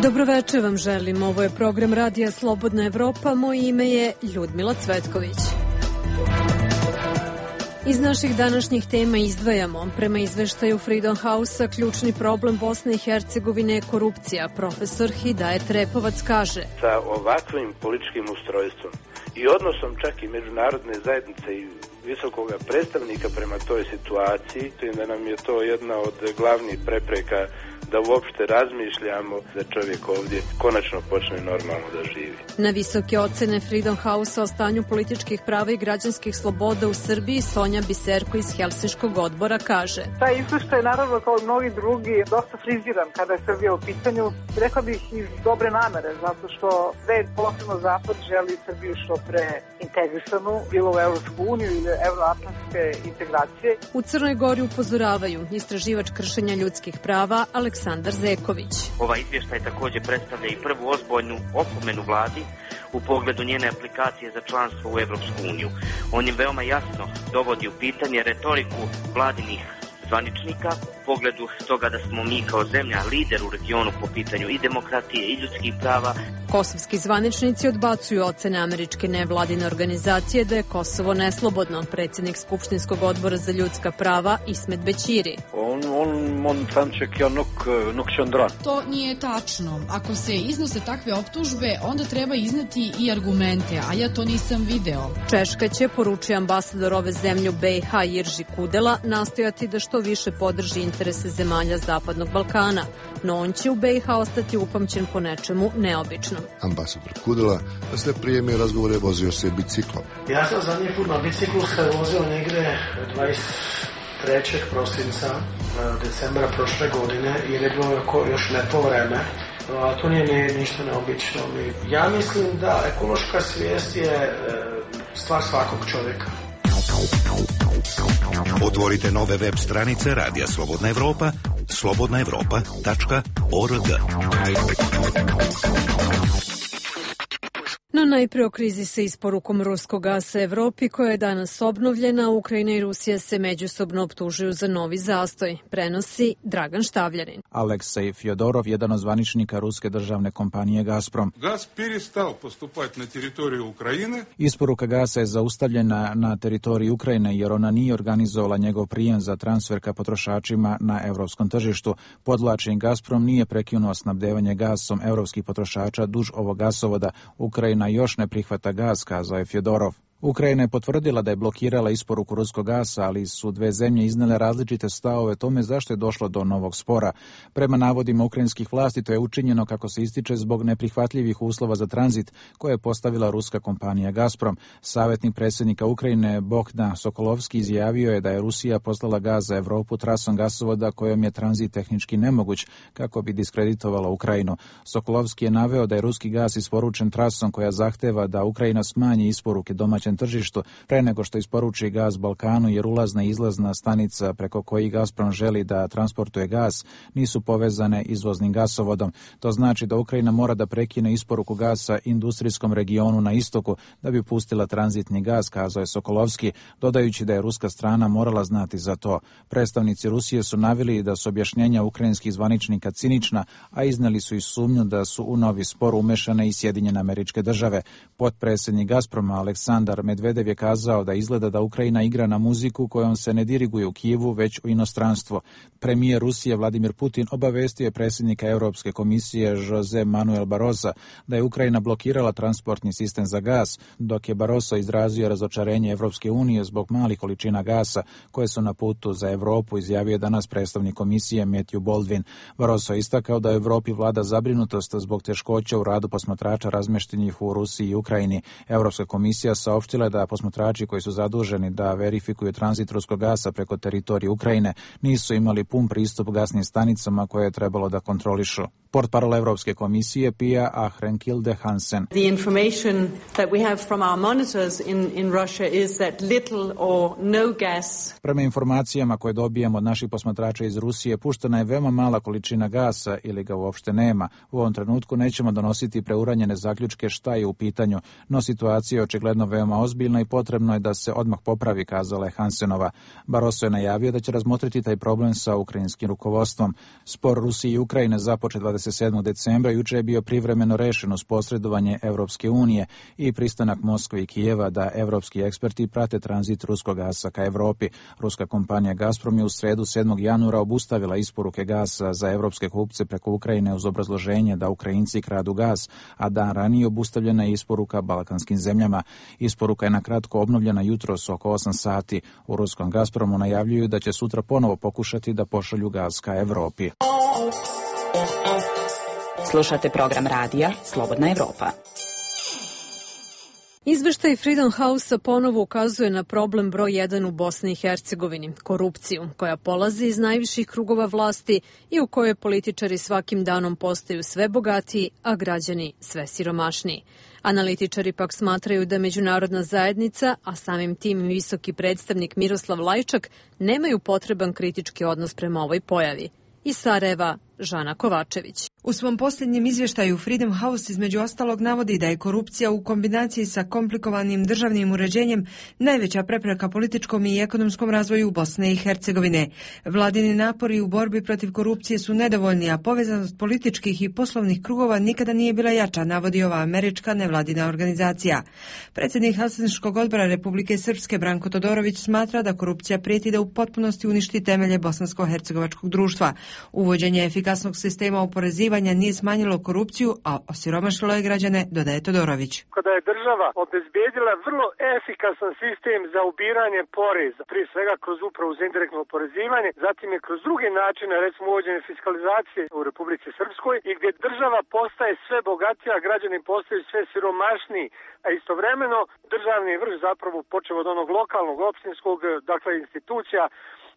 Dobroveče vam želim. Ovo je program Radija Slobodna Evropa. Moje ime je Ljudmila Cvetković. Iz naših današnjih tema izdvajamo. Prema izveštaju Freedom House-a, ključni problem Bosne i Hercegovine je korupcija. Profesor Hidajet Repovac kaže: sa ovakvim političkim ustrojstvom i odnosom čak i međunarodne zajednice i visokog predstavnika prema toj situaciji, da nam je to jedna od glavnih prepreka da uopšte razmišljamo da čovjek ovdje konačno počne normalno da živi. Na visoke ocene Freedom House-a o stanju političkih prava i građanskih sloboda u Srbiji Sonja Biserko iz Helsinškog odbora kaže: taj izveštaj je naravno kao i mnogi drugi dosta friziran kada je Srbija u pitanju. Rekla bih iz dobre namere, zato što svet, posebno Zapad, želi Srbiju što pre integrisanu, bilo u Evropsku uniju ili evroatlantske integracije. U Crnoj Gori upozoravaju istraživač kršenja ljudskih prava Aleksandar Zeković. Ovaj izvještaj također predstavlja i prvu ozbiljnu opomenu vladi u pogledu njene aplikacije za članstvo u Evropsku uniju. On je veoma jasno dovodi u pitanje retoriku vladinih zvaničnika u pogledu toga da smo mi kao zemlja lider u regionu po pitanju i demokratije i ljudskih prava. Kosovski zvaničnici odbacuju ocene američke nevladine organizacije da je Kosovo neslobodno. Predsjednik Skupštinskog odbora za ljudska prava Ismet Bećiri. To nije tačno. Ako se iznose takve optužbe, onda treba izneti i argumente, a ja to nisam video. Češka će, poručuje ambasador ove zemlje u BiH Jirži Kudela, nastojati da što više podrži interese zemalja Zapadnog Balkana, no on će u BiH ostati upamćen po nečemu neobičnom. Ambasador Kudela se prijeme razgovore vozio se biciklom. Ja sam zadnji put na biciklu se vozio negdje 23. prosinca decembra prošle godine i je bilo još lepo vreme. To nije ništa neobično. Ja mislim da ekološka svijest je stvar svakog čovjeka. Otvorite nove web stranice Radija Slobodna Evropa, slobodnaevropa.org. No najprije o krizi sa isporukom ruskog gasa Evropi koja je danas obnovljena. Ukrajina i Rusija se međusobno optužuju za novi zastoj. Prenosi Dragan Štavljanin. Aleksej Fjodorov, jedan od zvaničnika ruske državne kompanije Gazprom. Gaz перестал поступать на территорию Украины. Isporuka gasa je zaustavljena na teritoriji Ukrajine jer ona nije organizovala njegov prijem za transfer ka potrošačima na evropskom tržištu. Podvlačen Gazprom nije prekinuo snabdevanje gasom evropskih potrošača duž ovog gasovoda. Ukrajina još ne prihvata gas, kazao je Fjodorov. Ukrajina je potvrdila da je blokirala isporuku ruskog gasa, ali su dve zemlje iznele različite stavove tome zašto je došlo do novog spora. Prema navodima ukrajinskih vlasti to je učinjeno, kako se ističe, zbog neprihvatljivih uslova za tranzit koje je postavila ruska kompanija Gazprom. Savjetnik predsjednika Ukrajine Bogdan Sokolovski izjavio je da je Rusija poslala gaz za Evropu trasom gasovoda kojom je tranzit tehnički nemoguć, kako bi diskreditovala Ukrajinu. Sokolovski je naveo da je ruski gaz isporučen trasom koja zahteva da Ukrajina smanji isporuke domaćem tržištu pre nego što isporuči gaz Balkanu, jer ulazna i izlazna stanica preko kojih Gazprom želi da transportuje gaz nisu povezane izvoznim gasovodom. To znači da Ukrajina mora da prekine isporuku gasa industrijskom regionu na istoku da bi pustila tranzitni gaz, kazao je Sokolovski, dodajući da je ruska strana morala znati za to. Predstavnici Rusije su naveli da su objašnjenja ukrajinskih zvaničnika cinična, a izneli su i sumnju da su u novi spor umešane i Sjedinjene Američke Države. Potpredsjednik Gazproma Aleksandar Medvedev je kazao da izgleda da Ukrajina igra na muziku kojom se ne diriguje u Kijevu, već u inostranstvo. Premijer Rusije Vladimir Putin obavestio je predsjednika Europske komisije Jose Manuel Barrosa da je Ukrajina blokirala transportni sistem za gas, dok je Barroso izrazio razočarenje Evropske unije zbog malih količina gasa koje su na putu za Evropu, izjavio je danas predstavnik komisije Matthew Baldwin. Barroso je istakao da u Evropi vlada zabrinutost zbog teškoća u radu posmatrača razmještenih u Rusiji i Ukrajini. Europska komisija saopštila da posmatrači koji su zaduženi da verifikuju tranzit ruskog gasa preko teritorije Ukrajine nisu imali pun pristup gasnim stanicama koje je trebalo da kontrolišu. Portparol Evropske komisije Pia Ahrenkilde Hansen. The information that we have from our monitors in Russia is that little or no gas. Prema informacijama koje dobijamo od naših posmatrača iz Rusije, puštena je veoma mala količina gasa ili ga uopšte nema. U ovom trenutku nećemo donositi preuranjene zaključke šta je u pitanju, no situacija je očigledno veoma veoma ozbiljna i potrebno je da se odmah popravi, kazala je Hansenova. Barroso je najavio da će razmotriti taj problem sa ukrajinskim rukovodstvom. Spor Rusije i Ukrajine započet 27. decembra juče je bio privremeno rešen uz posredovanje Evropske unije i pristanak Moskve i Kijeva da evropski eksperti prate tranzit ruskog gasa ka Evropi. Ruska kompanija Gazprom je u sredu 7. januara obustavila isporuke gasa za evropske kupce preko Ukrajine uz obrazloženje da Ukrajinci kradu gas, a dan ranije obustavljena je isporuka balkanskim zemljama. Isporuka je na kratko obnovljena jutros oko 8 sati. U ruskom Gazpromu najavljuju da će sutra ponovo pokušati da pošalju gas ka Evropi. Slušate program radija Slobodna Evropa. Izveštaj Freedom House-a ponovo ukazuje na problem broj 1 u Bosni i Hercegovini, korupciju, koja polazi iz najviših krugova vlasti i u kojoj političari svakim danom postaju sve bogatiji, a građani sve siromašniji. Analitičari pak smatraju da međunarodna zajednica, a samim tim visoki predstavnik Miroslav Lajčak, nemaju potreban kritički odnos prema ovoj pojavi. Iz Sarajeva, Žana Kovačević. U svom posljednjem izvještaju Freedom House između ostalog navodi da je korupcija u kombinaciji sa komplikovanim državnim uređenjem najveća prepreka političkom i ekonomskom razvoju Bosne i Hercegovine. Vladini napori u borbi protiv korupcije su nedovoljni, a povezanost političkih i poslovnih krugova nikada nije bila jača, navodi ova američka nevladina organizacija. Predsjednik Helsinškog odbora Republike Srpske Branko Todorović smatra da korupcija prijeti da u potpunosti uništi temelje bosansko-hercegovačkog društva. Uvođenje efikasnog sistema oporezivanja nije smanjilo korupciju, a osiromašilo je građane, dodaje Todorović. Kada je država obezbijedila vrlo efikasan sistem za ubiranje poreza, prije svega kroz upravu za indirektno oporezivanje, zatim je kroz druge načine, recimo uvođenje fiskalizacije u Republici Srpskoj, i gdje država postaje sve bogatija, građani postaju sve siromašniji, a istovremeno državni vrh, zapravo počev od onog lokalnog, općinskog, dakle institucija,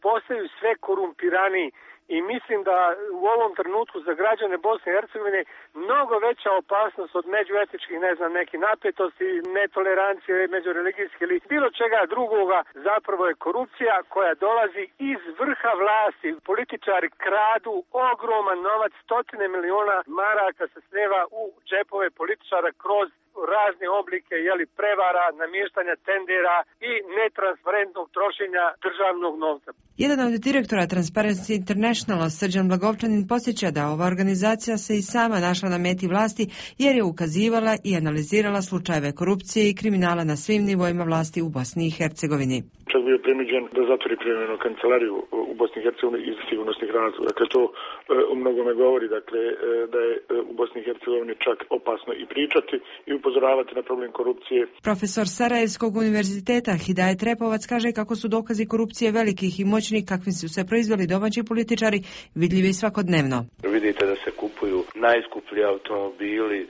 postaju sve korumpiraniji. I mislim da u ovom trenutku za građane Bosne i Hercegovine mnogo veća opasnost od međuetničkih, nekih napetosti, netolerancije, međureligijske ili bilo čega drugoga, zapravo je korupcija koja dolazi iz vrha vlasti. Političari kradu ogroman novac, 100 miliona maraka se slijeva u džepove političara kroz razne oblike prevara, namještanja tendera i netransparentnog trošenja državnog novca. Jedan od direktora Transparency Internationala, Srđan Blagovčanin, podsjeća da ova organizacija se i sama našla na meti vlasti jer je ukazivala i analizirala slučajeve korupcije i kriminala na svim nivoima vlasti u Bosni i Hercegovini. Čak bio prinuđen da zatvori privremenu kancelariju u Bosni i Hercegovini iz sigurnosnih razloga. Dakle, to u mnogome govori da je u Bosni i Hercegovini čak opasno i pričati i upozoravati na problem korupcije. Profesor Sarajevskog univerziteta Hidajet Repovac kaže kako su dokazi korupcije velikih i moćnih kakvim su se proizveli domaći političari vidljivi svakodnevno. Vidite da se kupuju najskuplji automobili,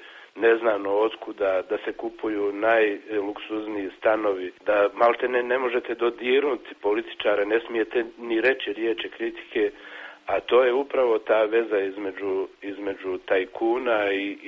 neznano otkuda, da se kupuju najluksuzniji stanovi, da malte ne možete dodirnuti političare, ne smijete ni reći riječi kritike, a to je upravo ta veza između tajkuna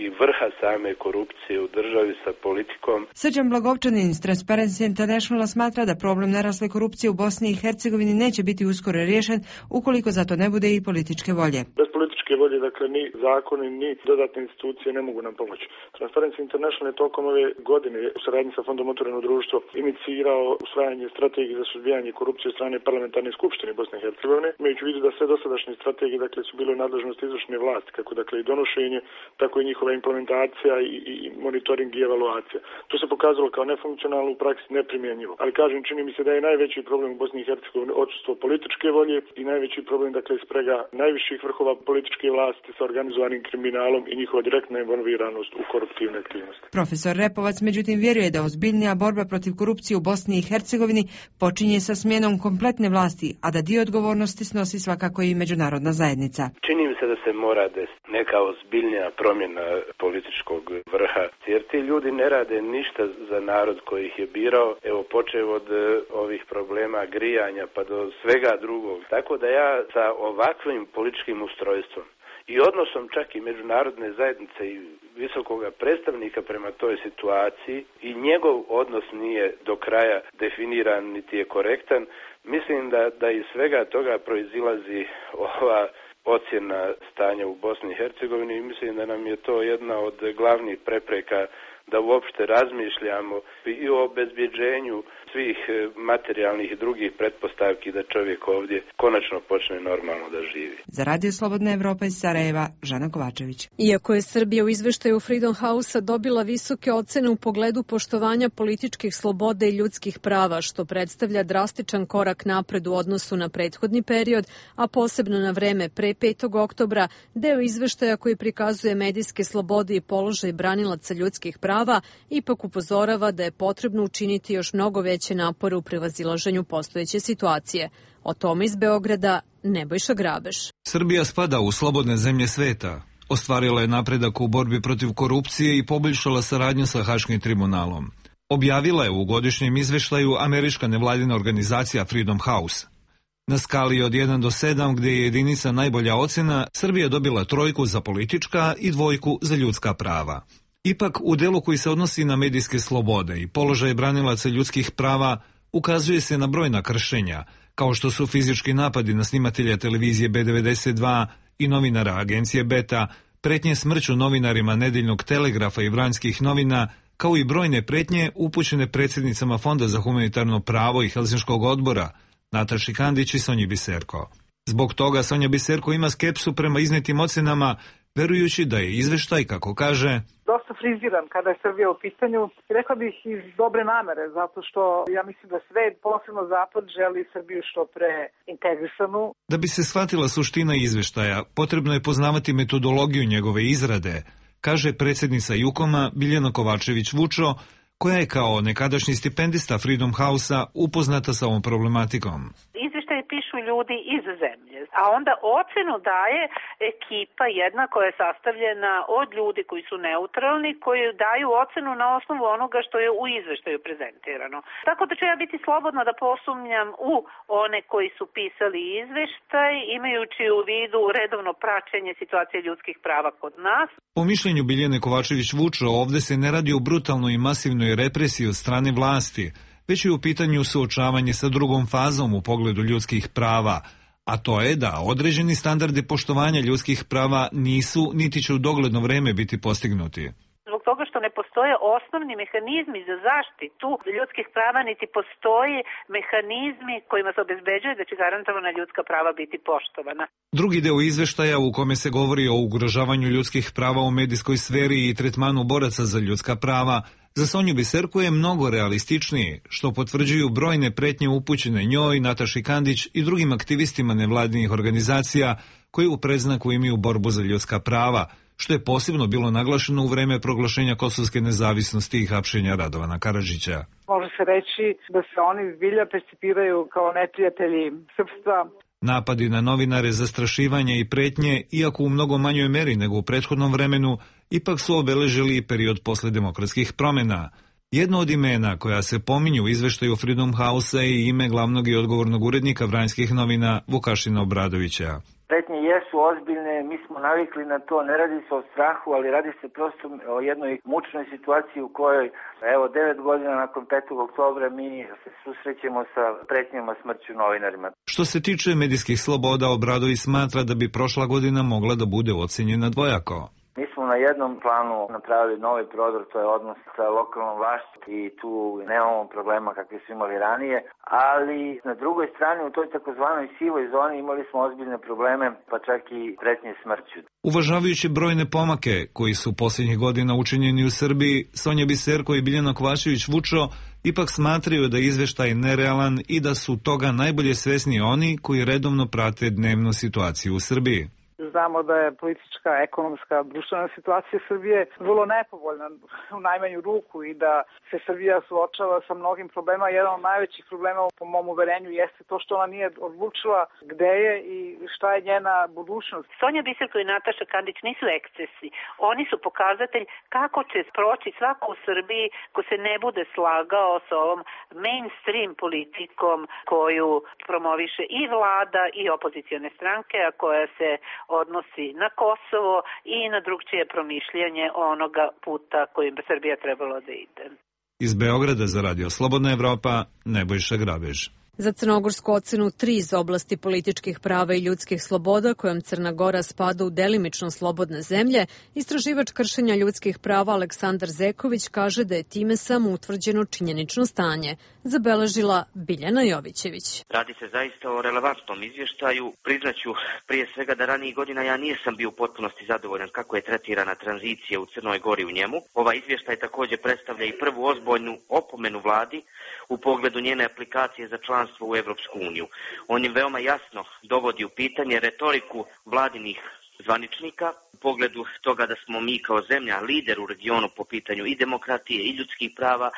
i vrha same korupcije u državi sa politikom. Srđan Blagovčanin iz Transparency Internationala smatra da problem narasle korupcije u Bosni i Hercegovini neće biti uskoro riješen ukoliko za to ne bude i političke volje. Bez političke volje, dakle, ni zakoni, ni dodatne institucije ne mogu nam pomoći. Transparency International je tokom ove godine u saradnji sa Fondom Otvoreno društvo inicirao usvajanje strategije za suzbijanje korupcije od strane parlamentarne skupštine Bosne i Hercegovine, imajući u vidu da sve dosadašnje strategije, dakle, su bile u nadležnosti izvršne vlasti, kako dakle i donošenje, tako i njihova implementacija i monitoring i evaluacija. To se pokazalo kao nefunkcionalno, u praksi neprimjenjivo. Ali kažem, čini mi se da je najveći problem u Bosni i Hercegovini odsustvo političke volje i najveći problem, dakle, sprega najviših vrhova političke vlasti sa organizovanim kriminalom i njihova direktna involviranost u koruptivne aktivnosti. Profesor Repovac međutim vjeruje da ozbiljnija borba protiv korupcije u Bosni i Hercegovini počinje sa smjenom kompletne vlasti, a da dio odgovornosti snosi svakako i međunarodna zajednica. Čini mi se da se mora desiti neka ozbiljnija promjena političkog vrha, jer ti ljudi ne rade ništa za narod koji ih je birao, evo počev od ovih problema grijanja pa do svega drugog. Tako da ja sa ovakvim političkim ustrojstvom i odnosom čak i međunarodne zajednice i visokoga predstavnika prema toj situaciji i njegov odnos nije do kraja definiran niti je korektan, mislim da iz svega toga proizilazi ova ocjena stanja u Bosni i Hercegovini i mislim da nam je to jedna od glavnih prepreka da uopšte razmišljamo i o obezbjeđenju svih materijalnih i drugih pretpostavki da čovjek ovdje konačno počne normalno da živi. Za Radio Slobodna Evropa iz Sarajeva, Žana Kovačević. Iako je Srbija u izveštaju Freedom House-a dobila visoke ocene u pogledu poštovanja političkih sloboda i ljudskih prava, što predstavlja drastičan korak napred u odnosu na prethodni period, a posebno na vreme pre 5. oktobra, deo izveštaja koji prikazuje medijske slobode i položaj branilaca ljudskih prava, ipak upozorava da je potrebno učiniti još mnogo veće napore u prevazilaženju postojeće situacije. O tome iz Beograda Nebojša Grabeš. Srbija spada u slobodne zemlje sveta. Ostvarila je napredak u borbi protiv korupcije i poboljšala saradnju sa Haškim tribunalom. Objavila je u godišnjem izveštaju američka nevladina organizacija Freedom House. Na skali od 1 do 7, gdje je jedinica najbolja ocena, Srbija dobila 3 za politička i 2 za ljudska prava. Ipak, u delu koji se odnosi na medijske slobode i položaje branilaca ljudskih prava, ukazuje se na brojna kršenja, kao što su fizički napadi na snimatelja televizije B92 i novinara agencije Beta, pretnje smrću novinarima Nedeljnog telegrafa i Vranjskih novina, kao i brojne pretnje upućene predsjednicama Fonda za humanitarno pravo i Helsinškog odbora, Nataši Kandić i Sonji Biserko. Zbog toga Sonja Biserko ima skepsu prema iznetim ocenama, verujući da je izveštaj, kako kaže, dosta friziran kada je Srbija u pitanju. Rekla bih iz dobre namere, zato što ja mislim da svet, posebno Zapad, želi Srbiju što pre integrisanu. Da bi se shvatila suština izveštaja, potrebno je poznavati metodologiju njegove izrade, kaže predsjednica Jukoma Biljana Kovačević-Vučo, koja je kao nekadašnji stipendista Freedom House-a upoznata sa ovom problematikom. Izveštaje pišu ljudi iz zemlje, a onda ocenu daje ekipa jedna koja je sastavljena od ljudi koji su neutralni, koji daju ocenu na osnovu onoga što je u izveštaju prezentirano. Tako da ću ja biti slobodna da posumnjam u one koji su pisali izveštaj, imajući u vidu redovno praćenje situacije ljudskih prava kod nas. Po mišljenju Biljane Kovačević-Vučo, ovde se ne radi o brutalnoj i masivnoj represiji od strane vlasti, već je u pitanju suočavanje sa drugom fazom u pogledu ljudskih prava, a to je da određeni standardi poštovanja ljudskih prava nisu niti će u dogledno vreme biti postignuti. Zbog toga što ne postoje osnovni mehanizmi za zaštitu ljudskih prava, niti postoji mehanizmi kojima se obezbeđuje da će garantovana ljudska prava biti poštovana. Drugi deo izveštaja u kome se govori o ugrožavanju ljudskih prava u medijskoj sferi i tretmanu boraca za ljudska prava, za Sonju Biserko je mnogo realističniji, što potvrđuju brojne pretnje upućene njoj, Nataši Kandić i drugim aktivistima nevladinih organizacija koji u predznaku imaju borbu za ljudska prava, što je posebno bilo naglašeno u vreme proglašenja kosovske nezavisnosti i hapšenja Radovana Karadžića. Može se reći da se oni zbilja percipiraju kao neprijatelji srpstva. Napadi na novinare, zastrašivanje i pretnje, iako u mnogo manjoj meri nego u prethodnom vremenu, ipak su obeležili i period posle demokratskih promjena. Jedno od imena koja se pominju u izveštaju Freedom House-a je ime glavnog i odgovornog urednika Vranjskih novina Vukašina Obradovića. Pretnje jesu ozbiljne, mi smo navikli na to, ne radi se o strahu, ali radi se prosto o jednoj mučnoj situaciji u kojoj, evo, 9 godina nakon 5. oktobra mi se susrećemo sa pretnjama smrću novinarima. Što se tiče medijskih sloboda, Obradović smatra da bi prošla godina mogla da bude ocenjena dvojako. Mi smo na jednom planu napravili novi prodor, to je odnos sa lokalnom vlašću i tu nemamo problema kakve su imali ranije, ali na drugoj strani u toj takozvanoj sivoj zoni imali smo ozbiljne probleme, pa čak i pretnje smrću. Uvažavajući brojne pomake koji su posljednjih godina učinjeni u Srbiji, Sonja Biserko i Biljana Kovačević-Vučo ipak smatraju da je izveštaj nerealan i da su toga najbolje svesni oni koji redovno prate dnevnu situaciju u Srbiji. Znamo da je politička, ekonomska, društvena situacija Srbije vrlo nepovoljna u najmanju ruku i da se Srbija suočava sa mnogim problema. Jedan od najvećih problema po mom uverenju jeste to što ona nije odlučila gde je i šta je njena budućnost. Sonja Biserko i Nataša Kandić nisu ekscesi. Oni su pokazatelj kako će proći svako u Srbiji ko se ne bude slagao sa ovom mainstream politikom koju promoviše i vlada i opozicione stranke, a koja se odnosi na Kosovo i na drugčije promišljanje onoga puta kojim bi Srbija trebalo da ide. Iz Beograda za Radio Slobodna Evropa, Nebojša Grabež. Za crnogorsku ocenu 3 iz oblasti političkih prava i ljudskih sloboda, kojom Crna Gora spada u delimično slobodne zemlje, istraživač kršenja ljudskih prava Aleksandar Zeković kaže da je time samo utvrđeno činjenično stanje, zabeležila Biljana Jovićević. Radi se zaista o relevantnom izvještaju. Priznaću prije svega da ranijih godina ja nisam bio u potpunosti zadovoljan kako je tretirana tranzicija u Crnoj Gori u njemu. Ovaj izvještaj također predstavlja i prvu ozbiljnu opomenu vladi u pogledu njene aplikacije za članstvo u Evropsku uniju. On im veoma jasno dovodi u pitanje retoriku vladinih zvaničnika u pogledu toga da smo mi kao zemlja lider u regionu po pitanju i demokratije i ljudskih prava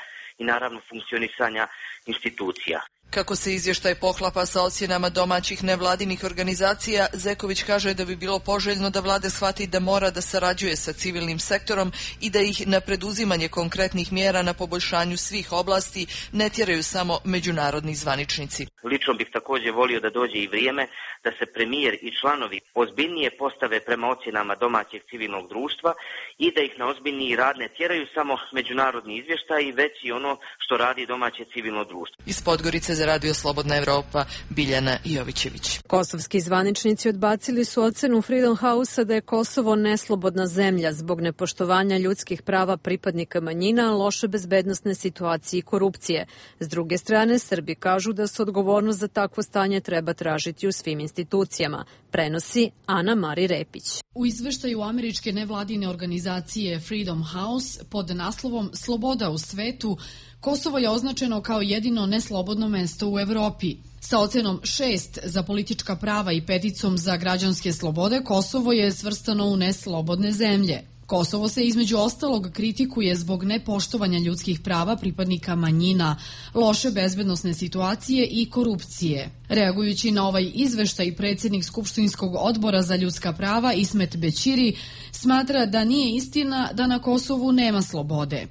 i naravno funkcionisanja institucija. Kako se izvještaj poklapa sa ocjenama domaćih nevladinih organizacija, Zeković kaže da bi bilo poželjno da vlada shvati da mora da sarađuje sa civilnim sektorom i da ih na preduzimanje konkretnih mjera na poboljšanju svih oblasti ne tjeraju samo međunarodni zvaničnici. Lično bih također volio da dođe i vrijeme da se premijer i članovi ozbiljnije postave prema ocjenama domaćeg civilnog društva i da ih na ozbiljniji rad ne tjeraju samo međunarodni izvještaj, već i ono što radi domaće civilno društvo. Iz Podgorice za Radio Slobodna Evropa, Biljana Jovićević. Kosovski zvaničnici odbacili su ocenu Freedom House-a da je Kosovo neslobodna zemlja zbog nepoštovanja ljudskih prava pripadnika manjina, loše bezbednosne situacije i korupcije. S druge strane, Srbi kažu da se odgovornost za takvo stanje treba tražiti u svim institucijama, prenosi Ana Mari Repić. U izveštaju američke nevladine organizacije Freedom House pod naslovom Sloboda u svetu, Kosovo je označeno kao jedino neslobodno mesto u Evropi. Sa ocenom 6 za politička prava i 5 za građanske slobode, Kosovo je svrstano u neslobodne zemlje. Kosovo se između ostalog kritikuje zbog nepoštovanja ljudskih prava pripadnika manjina, loše bezbednosne situacije i korupcije. Reagujući na ovaj izveštaj, predsjednik Skupštinskog odbora za ljudska prava Ismet Bećiri smatra da nije istina da na Kosovu nema slobode.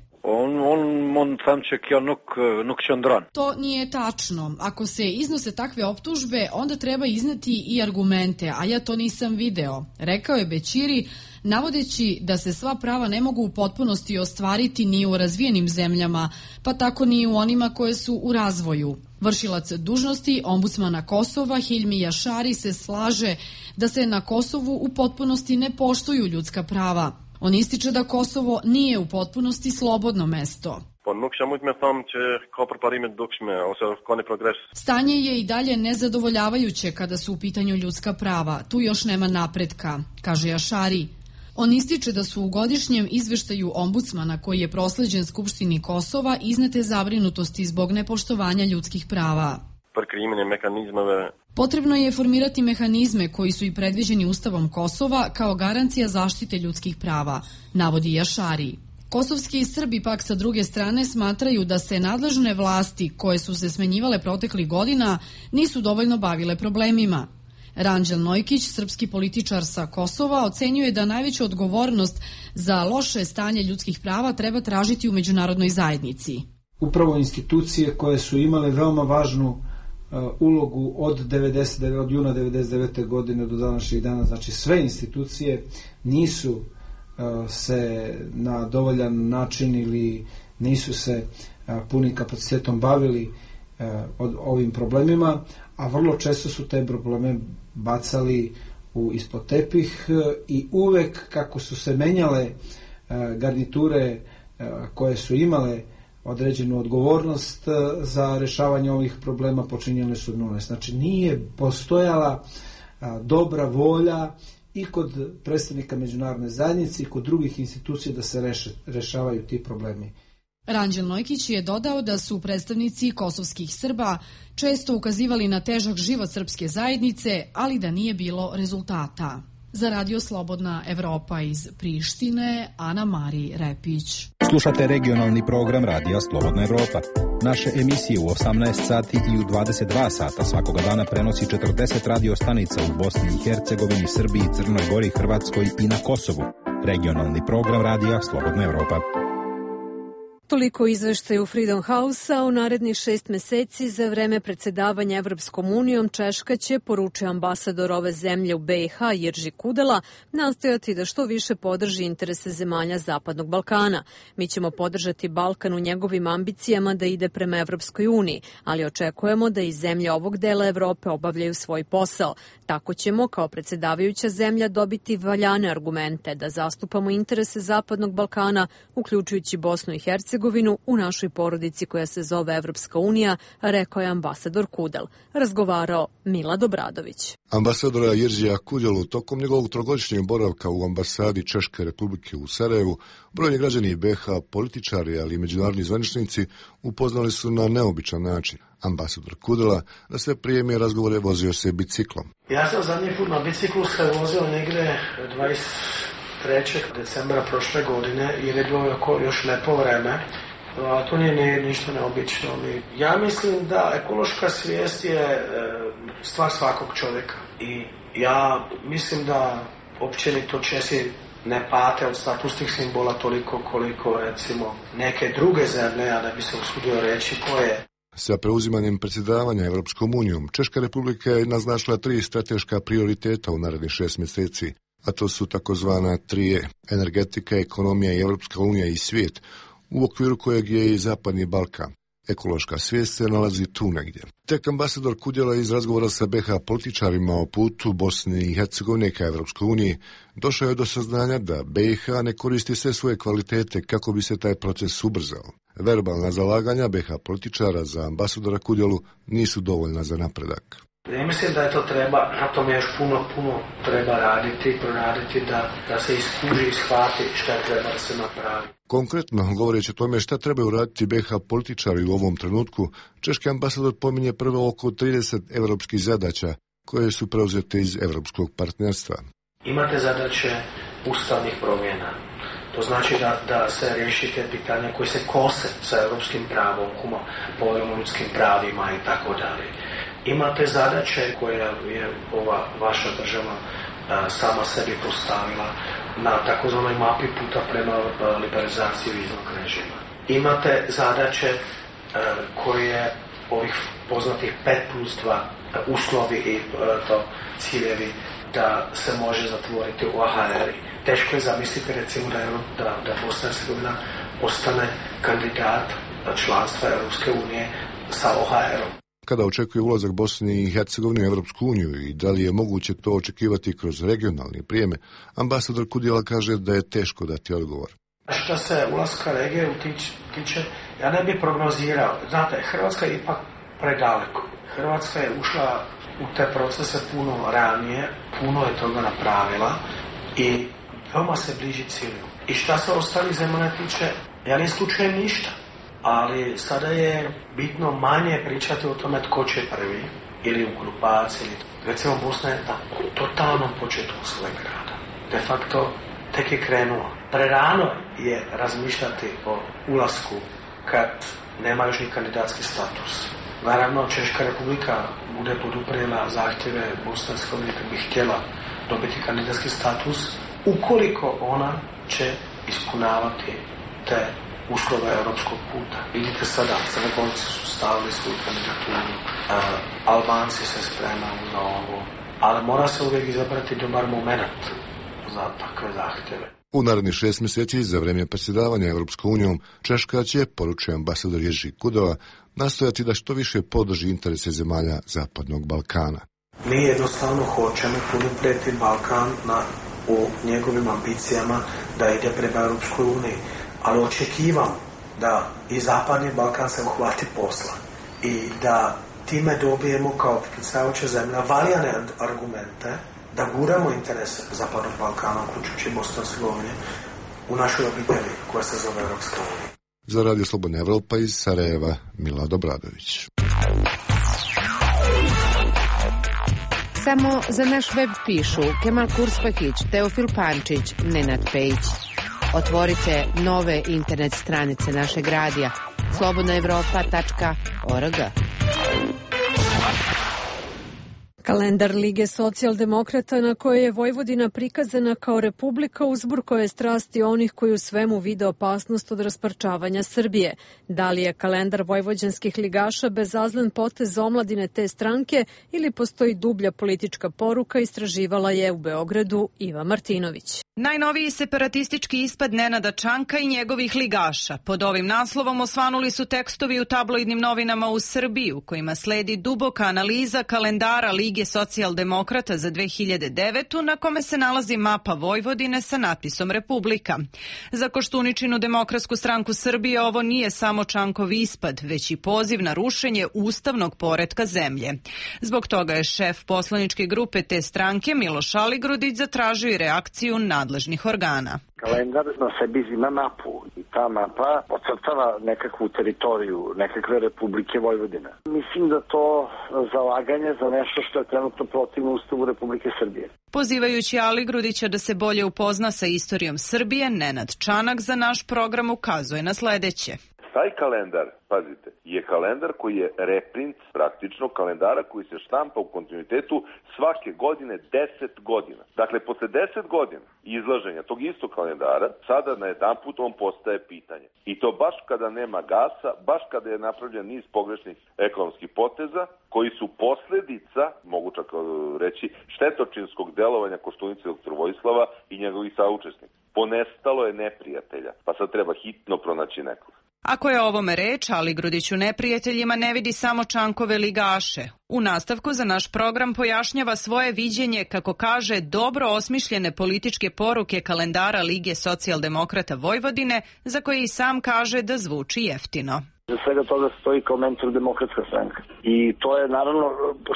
To nije tačno. Ako se iznose takve optužbe, onda treba izneti i argumente, a ja to nisam video, rekao je Bećiri, navodeći da se sva prava ne mogu u potpunosti ostvariti ni u razvijenim zemljama, pa tako ni u onima koje su u razvoju. Vršilac dužnosti ombudsmana Kosova Hilmi Jašari se slaže da se na Kosovu u potpunosti ne poštuju ljudska prava. On ističe da Kosovo nije u potpunosti slobodno mesto. Stanje je i dalje nezadovoljavajuće kada su u pitanju ljudska prava. Tu još nema napretka, kaže Jašari. On ističe da su u godišnjem izveštaju ombudsmana koji je prosleđen Skupštini Kosova iznete zabrinutosti zbog nepoštovanja ljudskih prava. Potrebno je formirati mehanizme koji su i predviđeni Ustavom Kosova kao garancija zaštite ljudskih prava, navodi Jašari. Kosovski Srbi pak sa druge strane smatraju da se nadležne vlasti koje su se smenjivale proteklih godina nisu dovoljno bavile problemima. Ranđel Nojkić, srpski političar sa Kosova, ocenjuje da najveću odgovornost za loše stanje ljudskih prava treba tražiti u međunarodnoj zajednici. Upravo institucije koje su imale veoma važnu ulogu od juna 1999. godine do današnjeg dana, znači sve institucije nisu se na dovoljan način ili nisu se punim kapacitetom bavili ovim problemima, a vrlo često su te probleme bacali ispod tepih i uvek kako su se menjale garniture koje su imale određenu odgovornost za rešavanje ovih problema, počinjene su od nule. Znači nije postojala dobra volja i kod predstavnika međunarodne zajednice i kod drugih institucija da se rešavaju ti problemi. Ranđel Nojkić je dodao da su predstavnici kosovskih Srba često ukazivali na težak život srpske zajednice, ali da nije bilo rezultata. Za Radio Slobodna Evropa iz Prištine, Ana Mari Repić. Slušate regionalni program Radija Slobodna Evropa. Naše emisije u 18 sati i u 22 sata svakoga dana prenosi 40 radio stanica u Bosni i Hercegovini, Srbiji, Crnoj Gori, Hrvatskoj i na Kosovu. Regionalni program Radija Slobodna Evropa. Toliko izveštaju Freedom House-a. U narednih 6 meseci za vreme predsedavanja Evropskom unijom Češka će, poručuje ambasador ove zemlje u BiH Jirži Kudela, nastojati da što više podrži interese zemalja Zapadnog Balkana. Mi ćemo podržati Balkan u njegovim ambicijama da ide prema Evropskoj uniji, ali očekujemo da i zemlje ovog dela Evrope obavljaju svoj posao. Tako ćemo, kao predsedavajuća zemlja, dobiti valjane argumente da zastupamo interese Zapadnog Balkana, uključujući Bosnu i Hercegovinu, u našoj porodici koja se zove Evropska unija, rekao je ambasador Kudel. Razgovarao Milad Obradović. Ambasadora Jiržija Kudelu tokom njegovog trogodišnjeg boravka u ambasadi Češke republike u Sarajevu, brojni građani BiH, političari, ali i međunarodni zvaničnici upoznali su na neobičan način. Ambasador Kudela na sve prijeme razgovore vozio se biciklom. Ja sam zadnji put na biciklu se vozio negde 23. decembra prošle godine i je bilo još lepo vreme. A to nije ništa neobično. Ja mislim da ekološka svijest je stvar svakog čovjeka. I ja mislim da općenito Česi ne pate od statusnih simbola toliko koliko recimo neke druge zemlje, a da bi se usudio reći koje. Sa preuzimanjem predsjedavanja Evropskom unijom, Češka republika je naznačila 3 strateška prioriteta u narednih 6 mjeseci, a to su takozvana 3E, energetika, ekonomija i Evropska unija i svijet, u okviru kojeg je i Zapadni Balkan. Ekološka svijest se nalazi tu negdje. Tek ambasador Kudela iz razgovora sa BiH političarima o putu Bosne i Hercegovine ka Evropskoj uniji došao je do saznanja da BiH ne koristi sve svoje kvalitete kako bi se taj proces ubrzao. Verbalna zalaganja BiH političara za ambasadora Kudelu nisu dovoljna za napredak. Ja mislim da je to treba, na tome još puno treba raditi, proraditi da se iskuži i shvati šta treba da se napravi. Konkretno, govoreći o tome šta trebaju raditi BiH političari u ovom trenutku, češki ambasador pominje prvo oko 30 evropskih zadaća koje su preuzete iz evropskog partnerstva. Imate zadaće ustavnih promjena. To znači da se riješite pitanja koje se kose sa evropskim pravom, poveljom o ljudskim pravima i tako dalje. Imate zadaće koje je ova vaša država sama sebi postavila na takozvanoj mapi puta prema liberalizaciji viznog režima. Imate zadaće koje ovih poznatih 5+2 uslovi i ciljevi da se može zatvoriti u OHR. Teško je zamisliti recimo da Bosna i Hercegovina ostane kandidat članstva Europske unije sa OHR-om. Kada očekuje ulazak Bosne i Hercegovine u Evropsku uniju i da li je moguće to očekivati kroz regionalne prijeme, ambasador Kudela kaže da je teško dati odgovor. Što se ulaska regije tiče, ja ne bih prognozirao. Znate, Hrvatska je ipak predaleko. Hrvatska je ušla u te procese puno ranije, puno je toga napravila i veoma se bliži cilju. I šta se ostalih zemalja tiče, ja ne isključujem ništa. Ali sada je bitno manje pričati o tome tko će prvi ili u grupaciji. Recimo Bosna je na totalnom početku svojeg rada. De facto tek je krenuo. Prerano je razmišljati o ulasku kad nema još ni kandidatski status. Naravno, Češka republika bude poduprijela zahtjeve Bosne i Hercegovine kad bi htjela dobiti kandidatski status ukoliko ona će ispunavati te uslove europskog puta. Vidite sada, Crnogorci su stavili svoju kandidaturu, Albanci se spremaju za ovo, ali mora se uvijek izabrati dobar moment za takve zahtjeve. U narednih 6 mjeseci za vrijeme predsjedavanja Evropskom unijom Češka će, poručuje ambasador Jirži Kudela, nastojati da što više podrži interese zemalja Zapadnog Balkana. Mi jednostavno hoćemo poduprijeti Balkan u njegovim ambicijama da ide prema Europskoj uniji. Ali očekivam da i Zapadni Balkan se uhvati posla i da time dobijemo kao predsjedavajuća zemlja valjane argumente da guramo interese Zapadnog Balkana, uključujući Bosne i Hercegovine, u našoj obitelji koja se zove Evropska unija. Za Radio Slobodna Evropa iz Sarajeva, Milad Obradović. Samo za naš web pišu Kemal Kurspahić, Teofil Pančić, Nenad Pejić. Otvorite nove internet stranice našeg radija slobodnaevropa.org. Kalendar Lige socijaldemokrata na kojoj je Vojvodina prikazana kao republika uzburkao je strasti onih koji u svemu vide opasnost od rasparčavanja Srbije. Da li je kalendar vojvođanskih ligaša bezazlen potez omladine te stranke ili postoji dublja politička poruka, istraživala je u Beogradu Iva Martinović. Najnoviji separatistički ispad Nenada Čanka i njegovih ligaša. Pod ovim naslovom osvanuli su tekstovi u tabloidnim novinama u Srbiji u kojima sledi duboka analiza kalendara Lige socijaldemokrata za 2009. na kome se nalazi mapa Vojvodine sa natpisom Republika. Za Koštuničinu Demokratsku stranku Srbije ovo nije samo Čankov ispad, već i poziv na rušenje ustavnog poretka zemlje. Zbog toga je šef poslaničke grupe te stranke Miloš Aligrudić zatražio i reakciju nadležnih organa. Kalendar na sebi ima mapu i ta mapa ocrtava nekakvu teritoriju, nekakve Republike Vojvodine. Mislim da to zalaganje za nešto što je trenutno protivno Ustavu Republike Srbije. Pozivajući Aligrudića da se bolje upozna sa istorijom Srbije, Nenad Čanak za naš program ukazuje na sledeće. Taj kalendar, pazite, je kalendar koji je reprint praktično kalendara koji se štampa u kontinuitetu svake godine 10 godina. Dakle, posle 10 godina izlaženja tog istog kalendara, sada na jedan put on postaje pitanje. I to baš kada nema gasa, baš kada je napravljen niz pogrešnih ekonomskih poteza, koji su posledica, mogu čak reći, štetočinskog delovanja Koštunice dr. Vojislava i njegovih saučesnika. Ponestalo je neprijatelja, pa sad treba hitno pronaći nekog. Ako je ovome reč, Aligrudić u neprijateljima ne vidi samo Čankove ligaše. U nastavku za naš program pojašnjava svoje viđenje, kako kaže, dobro osmišljene političke poruke kalendara Lige socijaldemokrata Vojvodine, za koje i sam kaže da zvuči jeftino. Za svega toga stoji kao mentor Demokratska stranka. I to je naravno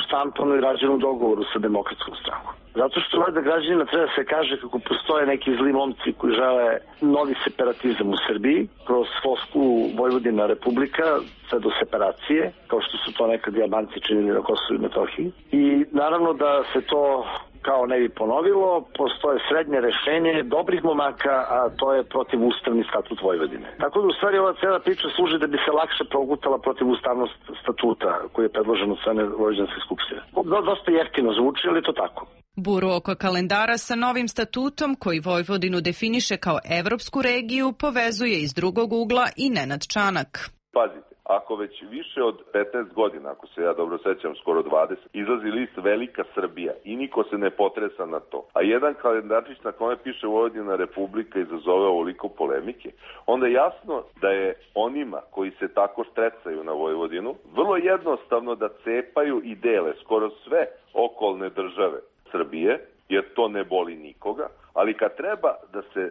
štampano i rađeno u dogovoru sa Demokratskom strankom. Zato što valjda građanima treba da se kaže kako postoje neki zli momci koji žele novi separatizam u Srbiji, kroz floskulu Vojvodina Republika, sve do separacije, kao što su to nekad Albanci činili na Kosovu i Metohiji. I naravno da se to kao ne bi ponovilo, postoje srednje rešenje dobrih momaka, a to je protivustavni statut Vojvodine. Tako da u stvari ova cela priča služi da bi se lakše progutala protivustavnost statuta koji je predložen od strane Vojvođanske skupštine. Dosta jeftino zvuči, ali to tako. Buru oko kalendara sa novim statutom, koji Vojvodinu definiše kao evropsku regiju, povezuje iz drugog ugla i Nenad Čanak. Pazite, ako već više od 15 godina, ako se ja dobro sećam, skoro 20, izlazi list Velika Srbija i niko se ne potresa na to, a jedan kalendarčić na kome piše Vojvodina Republika izazove ovoliko polemike, onda je jasno da je onima koji se tako štrecaju na Vojvodinu vrlo jednostavno da cepaju i dele skoro sve okolne države Srbije, jer to ne boli nikoga, ali kad treba da se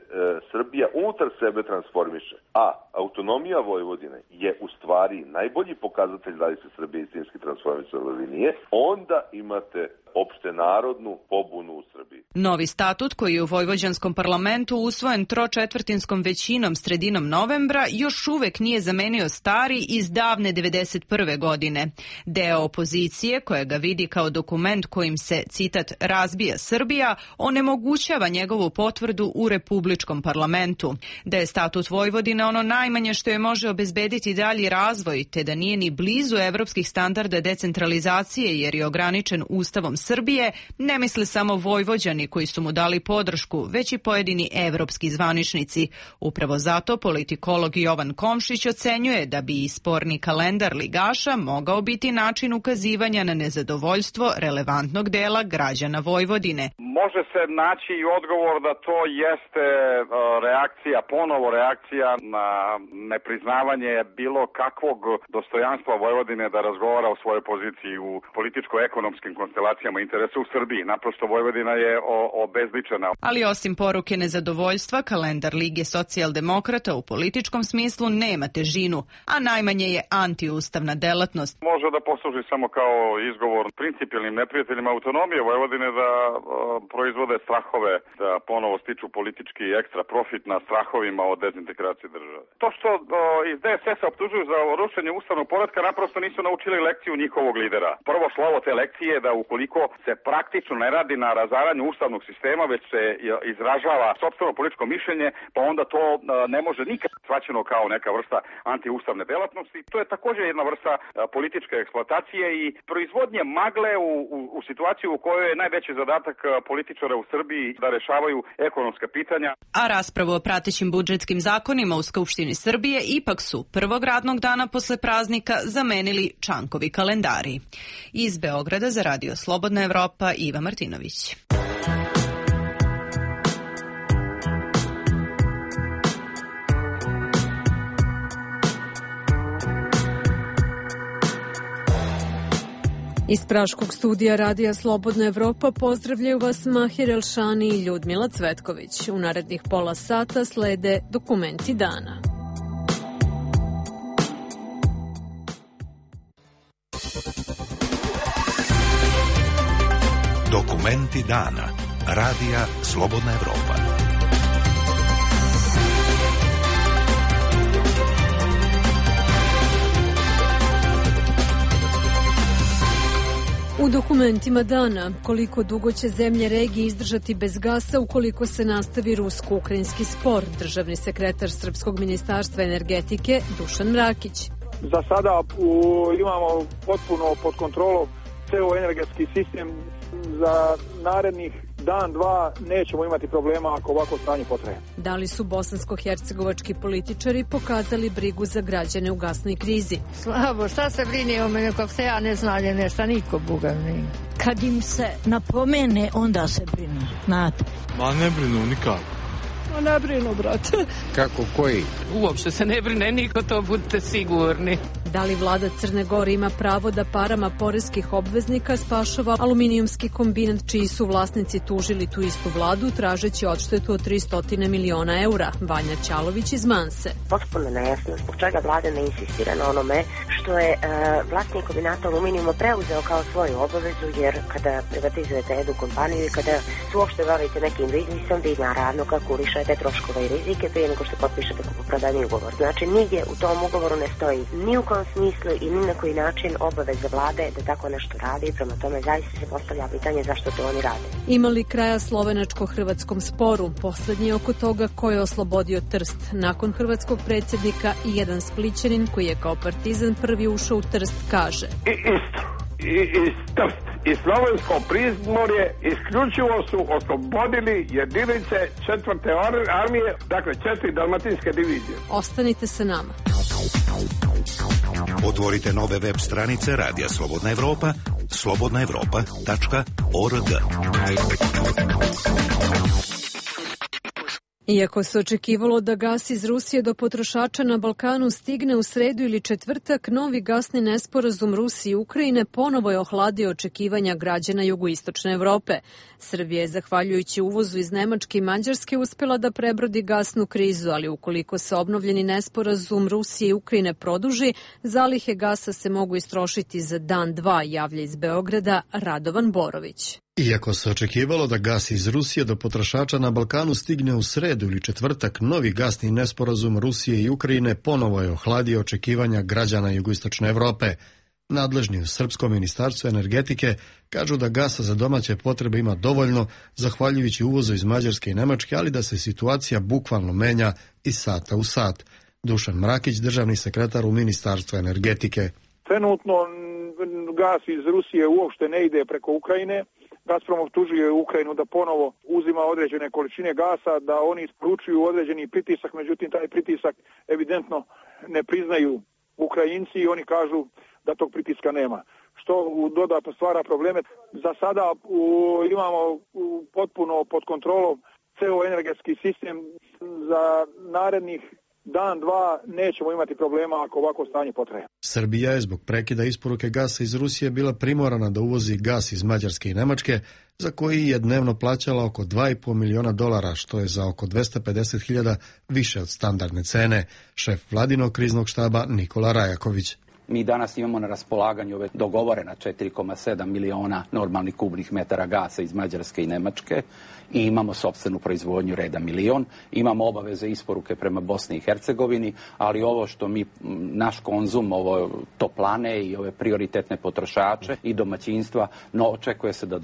Srbija unutar sebe transformiše, a autonomija Vojvodine je u stvari najbolji pokazatelj da li se Srbija istinski transformisala ili nije, onda imate opšte narodnu pobunu u Srbiji. Novi statut koji je u vojvođanskom parlamentu usvojen tročetvrtinskom većinom sredinom novembra još uvek nije zamenio stari iz davne 91. godine. Deo opozicije, koja ga vidi kao dokument kojim se, citat, razbija Srbija, onemogućava njegovu potvrdu u republičkom parlamentu. Da je statut Vojvodine ono najmanje što je može obezbediti dalji razvoj, te da nije ni blizu evropskih standarda decentralizacije jer je ograničen Ustavom Srbije, ne misle samo Vojvođani koji su mu dali podršku, već i pojedini evropski zvaničnici. Upravo zato politikolog Jovan Komšić ocenjuje da bi i sporni kalendar ligaša mogao biti način ukazivanja na nezadovoljstvo relevantnog dela građana Vojvodine. Može se naći i odgovor da to jeste ponovo reakcija na nepriznavanje bilo kakvog dostojanstva Vojvodine da razgovara o svojoj poziciji u političko-ekonomskim konstelacijama interesa u Srbiji. Naprosto Vojvodina je obezličena. Ali osim poruke nezadovoljstva, kalendar Lige socijaldemokrata u političkom smislu nema težinu, a najmanje je antiustavna delatnost. Može da posluži samo kao izgovor principijelnim neprijateljima autonomije Vojvodine da proizvode strahove da ponovo stiču politički ekstra profit na strahovima od dezintegracije države. To što iz DSS-a optužuju za rušenje ustavnog poretka naprosto nisu naučili lekciju njihovog lidera. Prvo slovo te lekcije je da ukoliko se praktično ne radi na razaranju ustavnog sistema, već se izražava sopstveno političko mišljenje, pa onda to ne može nikad shvaćeno kao neka vrsta antiustavne delatnosti. To je također jedna vrsta političke eksploatacije i proizvodnje magle u situaciju u kojoj je najveći zadatak političara u Srbiji da rešavaju ekonomska pitanja. A raspravu o pratećim budžetskim zakonima u Skupštini Srbije ipak su prvog radnog dana posle praznika zamenili Čankovi kalendari. Iz Beograda za Radio Slobodna Evropa, Iva Martinović. Iz Praškog studija Radija Slobodna Evropa pozdravljaju vas Mahir Elšani i Ljudmila Cvetković. U narednih pola sata slede dokumenti dana. Dokumenti dana. Radija Slobodna Evropa. U dokumentima dana, koliko dugo će zemlje regije izdržati bez gasa ukoliko se nastavi rusko-ukrajinski spor, državni sekretar Srpskog ministarstva energetike Dušan Mrakić. Za sada imamo potpuno pod kontrolom ceo energetski sistem. Za narednih dan, dva nećemo imati problema ako ovako stanje potraje. Da li su bosansko-hercegovački političari pokazali brigu za građane u gasnoj krizi? Slabo, šta se brini o mene, kako se ja ne znalje nešto, niko Boga ne. Kad im se napomene, onda se brinu, znate. Ma ne brinu nikako. Ne brinu, brate. Kako koji? Uopšte se ne brine niko, to budite sigurni. Da li vlada Crne Gore ima pravo da parama poreskih obveznika spašava aluminijumski kombinat čiji su vlasnici tužili tu istu vladu tražeći odštetu od 300 miliona eura? Vanja Ćalović iz Manse. Potpuno nejasno zbog čega vlada ne insistira na onome što je vlasnik kombinata aluminijuma preuzeo kao svoju obavezu, jer kada privatizujete jednu kompaniju i kada se uopšte bavite nekim biznisom, vi naravno kalkulišete troškove i rizike prije nego što potpišete kupoprodajni ugovor. Znači, nigdje u tom ugovoru ne stoji ni u kom smislu i ni na koji način obaveza vlade da tako nešto radi, prema tome zaista se postavlja pitanje zašto to oni rade. Ima li kraja slovenačko-hrvatskom sporu? Poslednji oko toga ko je oslobodio Trst. Nakon hrvatskog predsjednika i jedan Splićanin koji je kao partizan prvi ušao u Trst kaže: Iz Trst i slovensko Primorje isključivo su oslobodili jedinice 4. armije, dakle 4 dalmatinske divizije. Ostanite sa nama. Otvorite nove web stranice Radija Slobodna Evropa, slobodnaevropa.org. Iako se očekivalo da gas iz Rusije do potrošača na Balkanu stigne u sredu ili četvrtak, novi gasni nesporazum Rusije i Ukrajine ponovo je ohladio očekivanja građana jugoistočne Evrope. Srbija je, zahvaljujući uvozu iz Nemačke i Mađarske, uspela da prebrodi gasnu krizu, ali ukoliko se obnovljeni nesporazum Rusije i Ukrajine produži, zalihe gasa se mogu istrošiti za dan, dva, javlja iz Beograda Radovan Borović. Iako se očekivalo da gas iz Rusije do potrošača na Balkanu stigne u sredu ili četvrtak, novi gasni nesporazum Rusije i Ukrajine ponovo je ohladio očekivanja građana jugoistočne Evrope. Nadležni u Srpskom ministarstvu energetike kažu da gasa za domaće potrebe ima dovoljno, zahvaljujući uvozu iz Mađarske i Nemačke, ali da se situacija bukvalno menja iz sata u sat. Dušan Mrakić, državni sekretar u Ministarstvu energetike. Trenutno gas iz Rusije uopšte ne ide preko Ukrajine. Gazprom optužuje Ukrajinu da ponovo uzima određene količine gasa, da oni isporučuju određeni pritisak, međutim taj pritisak evidentno ne priznaju Ukrajinci i oni kažu da tog pritiska nema, što dodatno stvara probleme. Za sada imamo potpuno pod kontrolom ceo energetski sistem. Za narednih dan, dva nećemo imati problema ako ovako stanje potraje. Srbija je zbog prekida isporuke gasa iz Rusije bila primorana da uvozi gas iz Mađarske i Nemačke, za koji je dnevno plaćala oko $2,5 miliona, što je za oko 250.000 više od standardne cene. Šef vladinog kriznog štaba Nikola Rajaković. Mi danas imamo na raspolaganju ove dogovorena 4,7 miliona normalnih kubnih metara gasa iz Mađarske i Nemačke i imamo sopstvenu proizvodnju reda milion. Imamo obaveze isporuke prema Bosni i Hercegovini, ali ovo što mi, naš konzum, ovo toplane i ove prioritetne potrošače i domaćinstva, no očekuje se da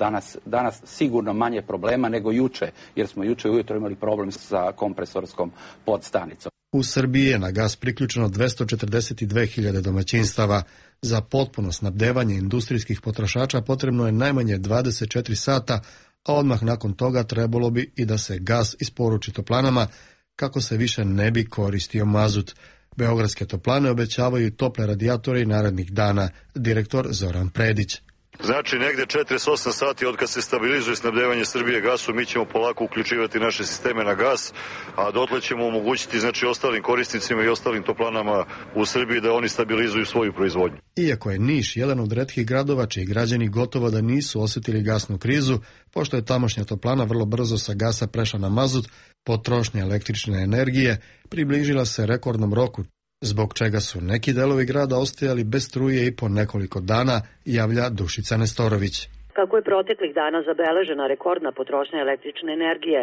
danas sigurno manje problema nego juče, jer smo juče ujutro imali problem sa kompresorskom podstanicom. U Srbiji je na gas priključeno 242.000 domaćinstava. Za potpuno snabdevanje industrijskih potrošača potrebno je najmanje 24 sata, a odmah nakon toga trebalo bi i da se gas isporuči toplanama kako se više ne bi koristio mazut. Beogradske toplane obećavaju tople radijatore i narednih dana, direktor Zoran Predić. Znači, negde 48 sati od kad se stabilizuje snabdevanje Srbije gasom, mi ćemo polako uključivati naše sisteme na gas, a dotle ćemo omogućiti ostalim korisnicima i ostalim toplanama u Srbiji da oni stabilizuju svoju proizvodnju. Iako je Niš jedan od retkih gradova čiji građani gotovo da nisu osjetili gasnu krizu, pošto je tamošnja toplana vrlo brzo sa gasa prešla na mazut, potrošnja električne energije približila se rekordnom roku, zbog čega su neki delovi grada ostajali bez struje i po nekoliko dana, javlja Dušica Nestorović. Kako je proteklih dana zabeležena rekordna potrošnja električne energije,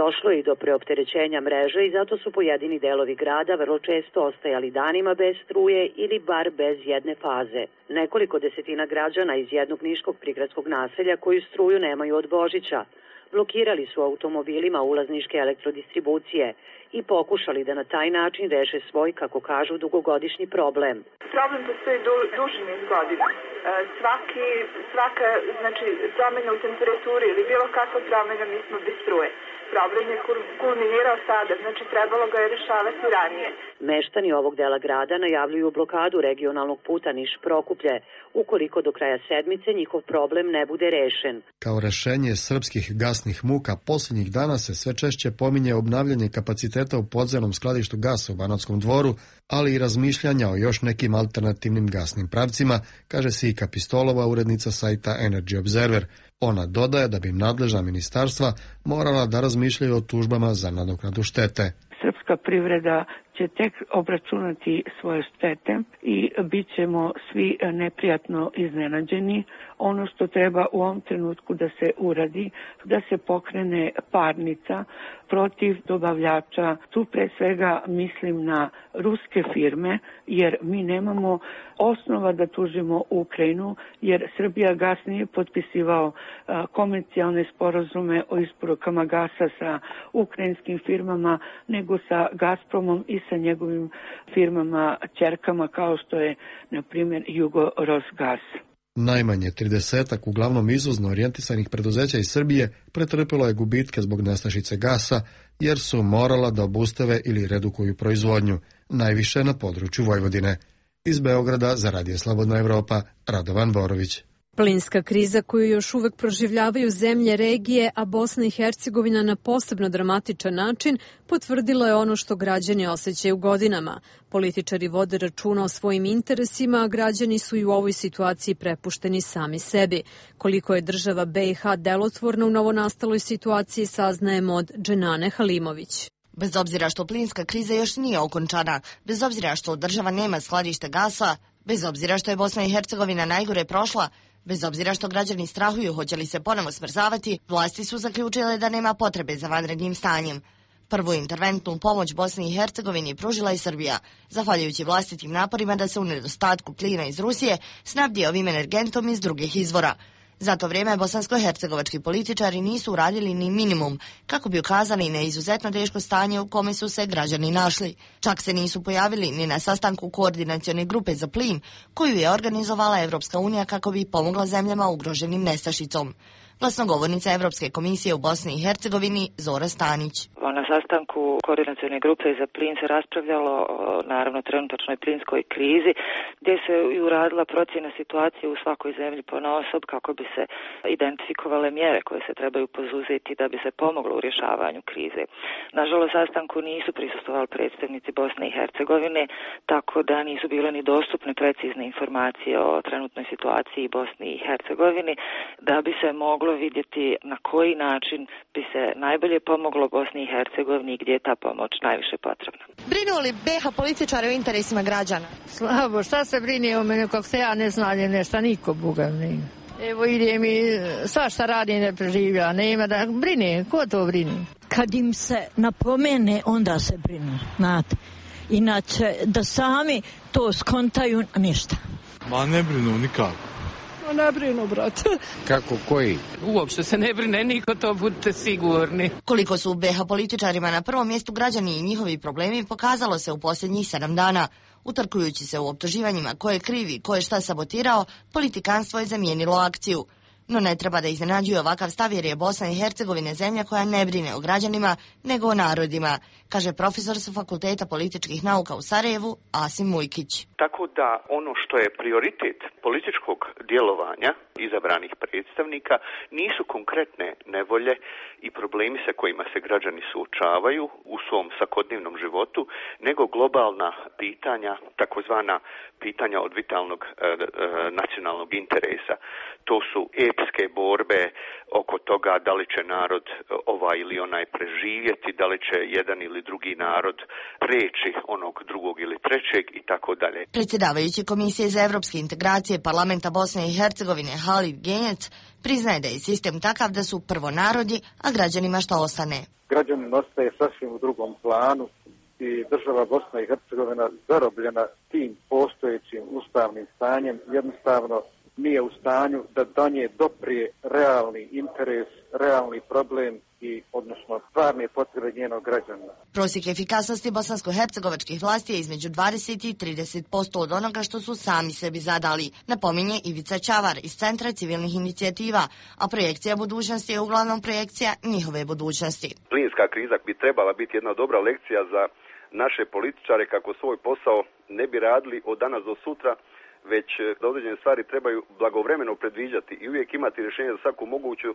došlo je i do preopterećenja mreže i zato su pojedini delovi grada vrlo često ostajali danima bez struje ili bar bez jedne faze. Nekoliko desetina građana iz jednog niškog prigradskog naselja koji struju nemaju od Božića blokirali su automobilima ulaz niške elektrodistribucije i pokušali da na taj način reše svoj, kako kažu, dugogodišnji problem. Problem postoji duži niz godina. Svaka promjena u temperaturi ili bilo kakva promjena, mi smo bez struje. Problem je kulminirao sada, trebalo ga je rešavati ranije. Meštani ovog dela grada najavljuju blokadu regionalnog puta Niš-Prokuplje, ukoliko do kraja sedmice njihov problem ne bude rešen. Kao rešenje srpskih gasnih muka posljednjih dana se sve češće pominje obnavljanje kapaciteta u podzemnom skladištu gasa u Banatskom Dvoru, ali i razmišljanja o još nekim alternativnim gasnim pravcima, kaže Sika Pistolova, urednica sajta Energy Observer. Ona dodaje da bi nadležna ministarstva morala da razmišljaju o tužbama za nadoknadu štete. Srpska privreda će tek obračunati svoje štete i bit ćemo svi neprijatno iznenađeni. Ono što treba u ovom trenutku da se uradi, da se pokrene parnica protiv dobavljača. Tu pre svega mislim na ruske firme, jer mi nemamo osnova da tužimo Ukrajinu, jer Srbijagas nije potpisivao komercijalne sporazume o isporukama gasa sa ukrajinskim firmama, nego sa Gazpromom i sa njegovim firmama ćerkama kao što je, na primjer, Jugo-Rosgas. Najmanje 30 uglavnom izvozno orijentisanih preduzeća iz Srbije pretrpelo je gubitke zbog nestašice gasa, jer su morala da obustave ili redukuju proizvodnju, najviše na području Vojvodine. Iz Beograda za Radio Slobodna Evropa, Radovan Borović. Plinska kriza koju još uvek proživljavaju zemlje regije, a Bosna i Hercegovina na posebno dramatičan način, potvrdila je ono što građani osjećaju godinama. Političari vode računa o svojim interesima, a građani su i u ovoj situaciji prepušteni sami sebi. Koliko je država BiH delotvorna u novonastaloj situaciji, saznajemo od Dženane Halimović. Bez obzira što plinska kriza još nije okončana, bez obzira što država nema skladište gasa, bez obzira što je Bosna i Hercegovina najgore prošla, bez obzira što građani strahuju hoće li se ponovo smrzavati, vlasti su zaključile da nema potrebe za vanrednim stanjem. Prvu interventnu pomoć Bosni i Hercegovini pružila je Srbija, zahvaljujući vlastitim naporima da se u nedostatku plina iz Rusije snabdije ovim energentom iz drugih izvora. Za to vrijeme bosansko-hercegovački političari nisu uradili ni minimum kako bi ukazali na izuzetno teško stanje u kome su se građani našli. Čak se nisu pojavili ni na sastanku koordinacione grupe za plin koju je organizovala Evropska unija kako bi pomogla zemljama ugroženim nestašicom. Glasnogovornica Evropske komisije u Bosni i Hercegovini Zora Stanić. Na sastanku koordinacione grupe za plin se raspravljalo o naravno trenutačnoj plinskoj krizi, gdje se i uradila procjena situacije u svakoj zemlji ponaosob kako bi se identifikovale mjere koje se trebaju poduzeti da bi se pomoglo u rješavanju krize. Nažalost, sastanku nisu prisustvovali predstavnici Bosne i Hercegovine, tako da nisu bile ni dostupne precizne informacije o trenutnoj situaciji Bosni i Hercegovini, da bi se moglo trebalo vidjeti na koji način bi se najbolje pomoglo Bosni i Hercegovini i gdje je ta pomoć najviše potrebna. Brinu li BiH političari o interesima građana? Slabo, šta se brine o mene, kako se ja ne znam nešto, niko Boga ne. Evo ide mi, svašta radi ne preživlja, nema da brine, ko to brine? Kad im se napomene, onda se brinu, znate. Inače, da sami to skontaju, ništa. Ma ne brinu nikako. Ne brinu, brate. Kako, koji? Uopšte se ne brine niko, to budite sigurni. Koliko su u BiH političarima na prvom mjestu građani i njihovi problemi pokazalo se u posljednjih 7 dana. Utrkujući se u optuživanjima ko je krivi, ko je šta sabotirao, politikanstvo je zamijenilo akciju. No ne treba da iznenađuje ovakav stav jer je Bosna i Hercegovina zemlja koja ne brine o građanima, nego o narodima, kaže profesor sa Fakulteta političkih nauka u Sarajevu, Asim Mujkić. Tako da ono što je prioritet političkog djelovanja izabranih predstavnika nisu konkretne nevolje i problemi sa kojima se građani suočavaju u svom svakodnevnom životu, nego globalna pitanja, takozvana pitanja od vitalnog nacionalnog interesa. To su epske borbe oko toga da li će narod ovaj ili onaj preživjeti, da li će jedan ili drugi narod preći onog drugog ili trećeg i tako dalje. Predsjedavajući Komisije za evropske integracije Parlamenta Bosne i Hercegovine Halid Genjec priznaje da je sistem takav da su prvo narodi, a građanima šta ostane. Građanin ostaje sasvim u drugom planu i država Bosna i Hercegovina zarobljena tim postojećim ustavnim stanjem jednostavno nije u stanju da do nje doprije realni interes, realni problem i odnosno stvarne potrebe njenog građana. Prosjek efikasnosti bosansko-hercegovačkih vlasti je između 20 i 30% od onoga što su sami sebi zadali, napominje Ivica Čavar iz Centra civilnih inicijativa, a projekcija budućnosti je uglavnom projekcija njihove budućnosti. Plinska kriza bi trebala biti jedna dobra lekcija za naše političare kako svoj posao ne bi radili od danas do sutra, već da određene stvari trebaju blagovremeno predviđati i uvijek imati rješenje za svaku moguću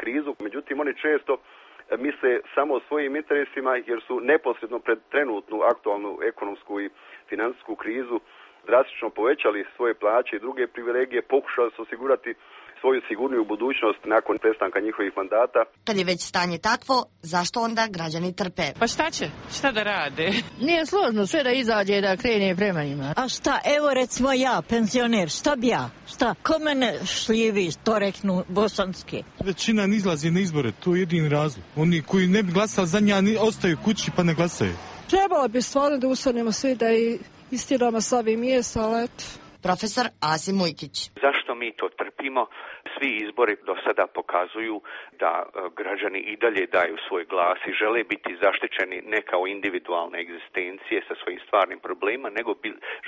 krizu. Međutim, oni često misle samo o svojim interesima jer su neposredno pred trenutnu aktualnu ekonomsku i financijsku krizu drastično povećali svoje plaće i druge privilegije, pokušali su osigurati svoju sigurniju budućnost nakon prestanka njihovih mandata. Kad je već stanje takvo, zašto onda građani trpe? Pa šta će? Šta da rade? Nije složno sve da izađe da krene prema njima. A šta, evo recimo ja, penzioner, šta bi ja? Šta, ko mene šljivi, to reknu bosanski? Većina ne izlazi na izbore, to je jedini razlog. Oni koji ne bi glasali za nja ostaju kući pa ne glasaju. Trebalo bi stvarno da ustanemo svi da i istiramo s ovim mjesta, ali eto. Profesor Asim Mujkić. Zašto mi to trpimo? Svi izbori do sada pokazuju da građani i dalje daju svoj glas i žele biti zaštićeni ne kao individualne egzistencije sa svojim stvarnim problemima, nego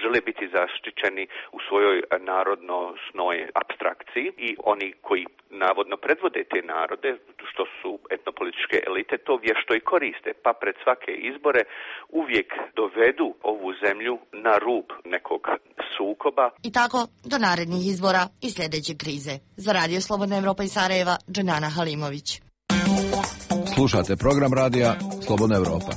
žele biti zaštićeni u svojoj narodnosnoj apstrakciji i oni koji navodno predvode te narode, što su etnopolitičke elite, to vješto i koriste, pa pred svake izbore uvijek dovedu ovu zemlju na rub nekog sukoba. I tako do narednih izbora i sljedeće krize. Za Radio Slobodna Evropa iz Sarajeva, Dženana Halimović. Slušate program radija Slobodna Evropa.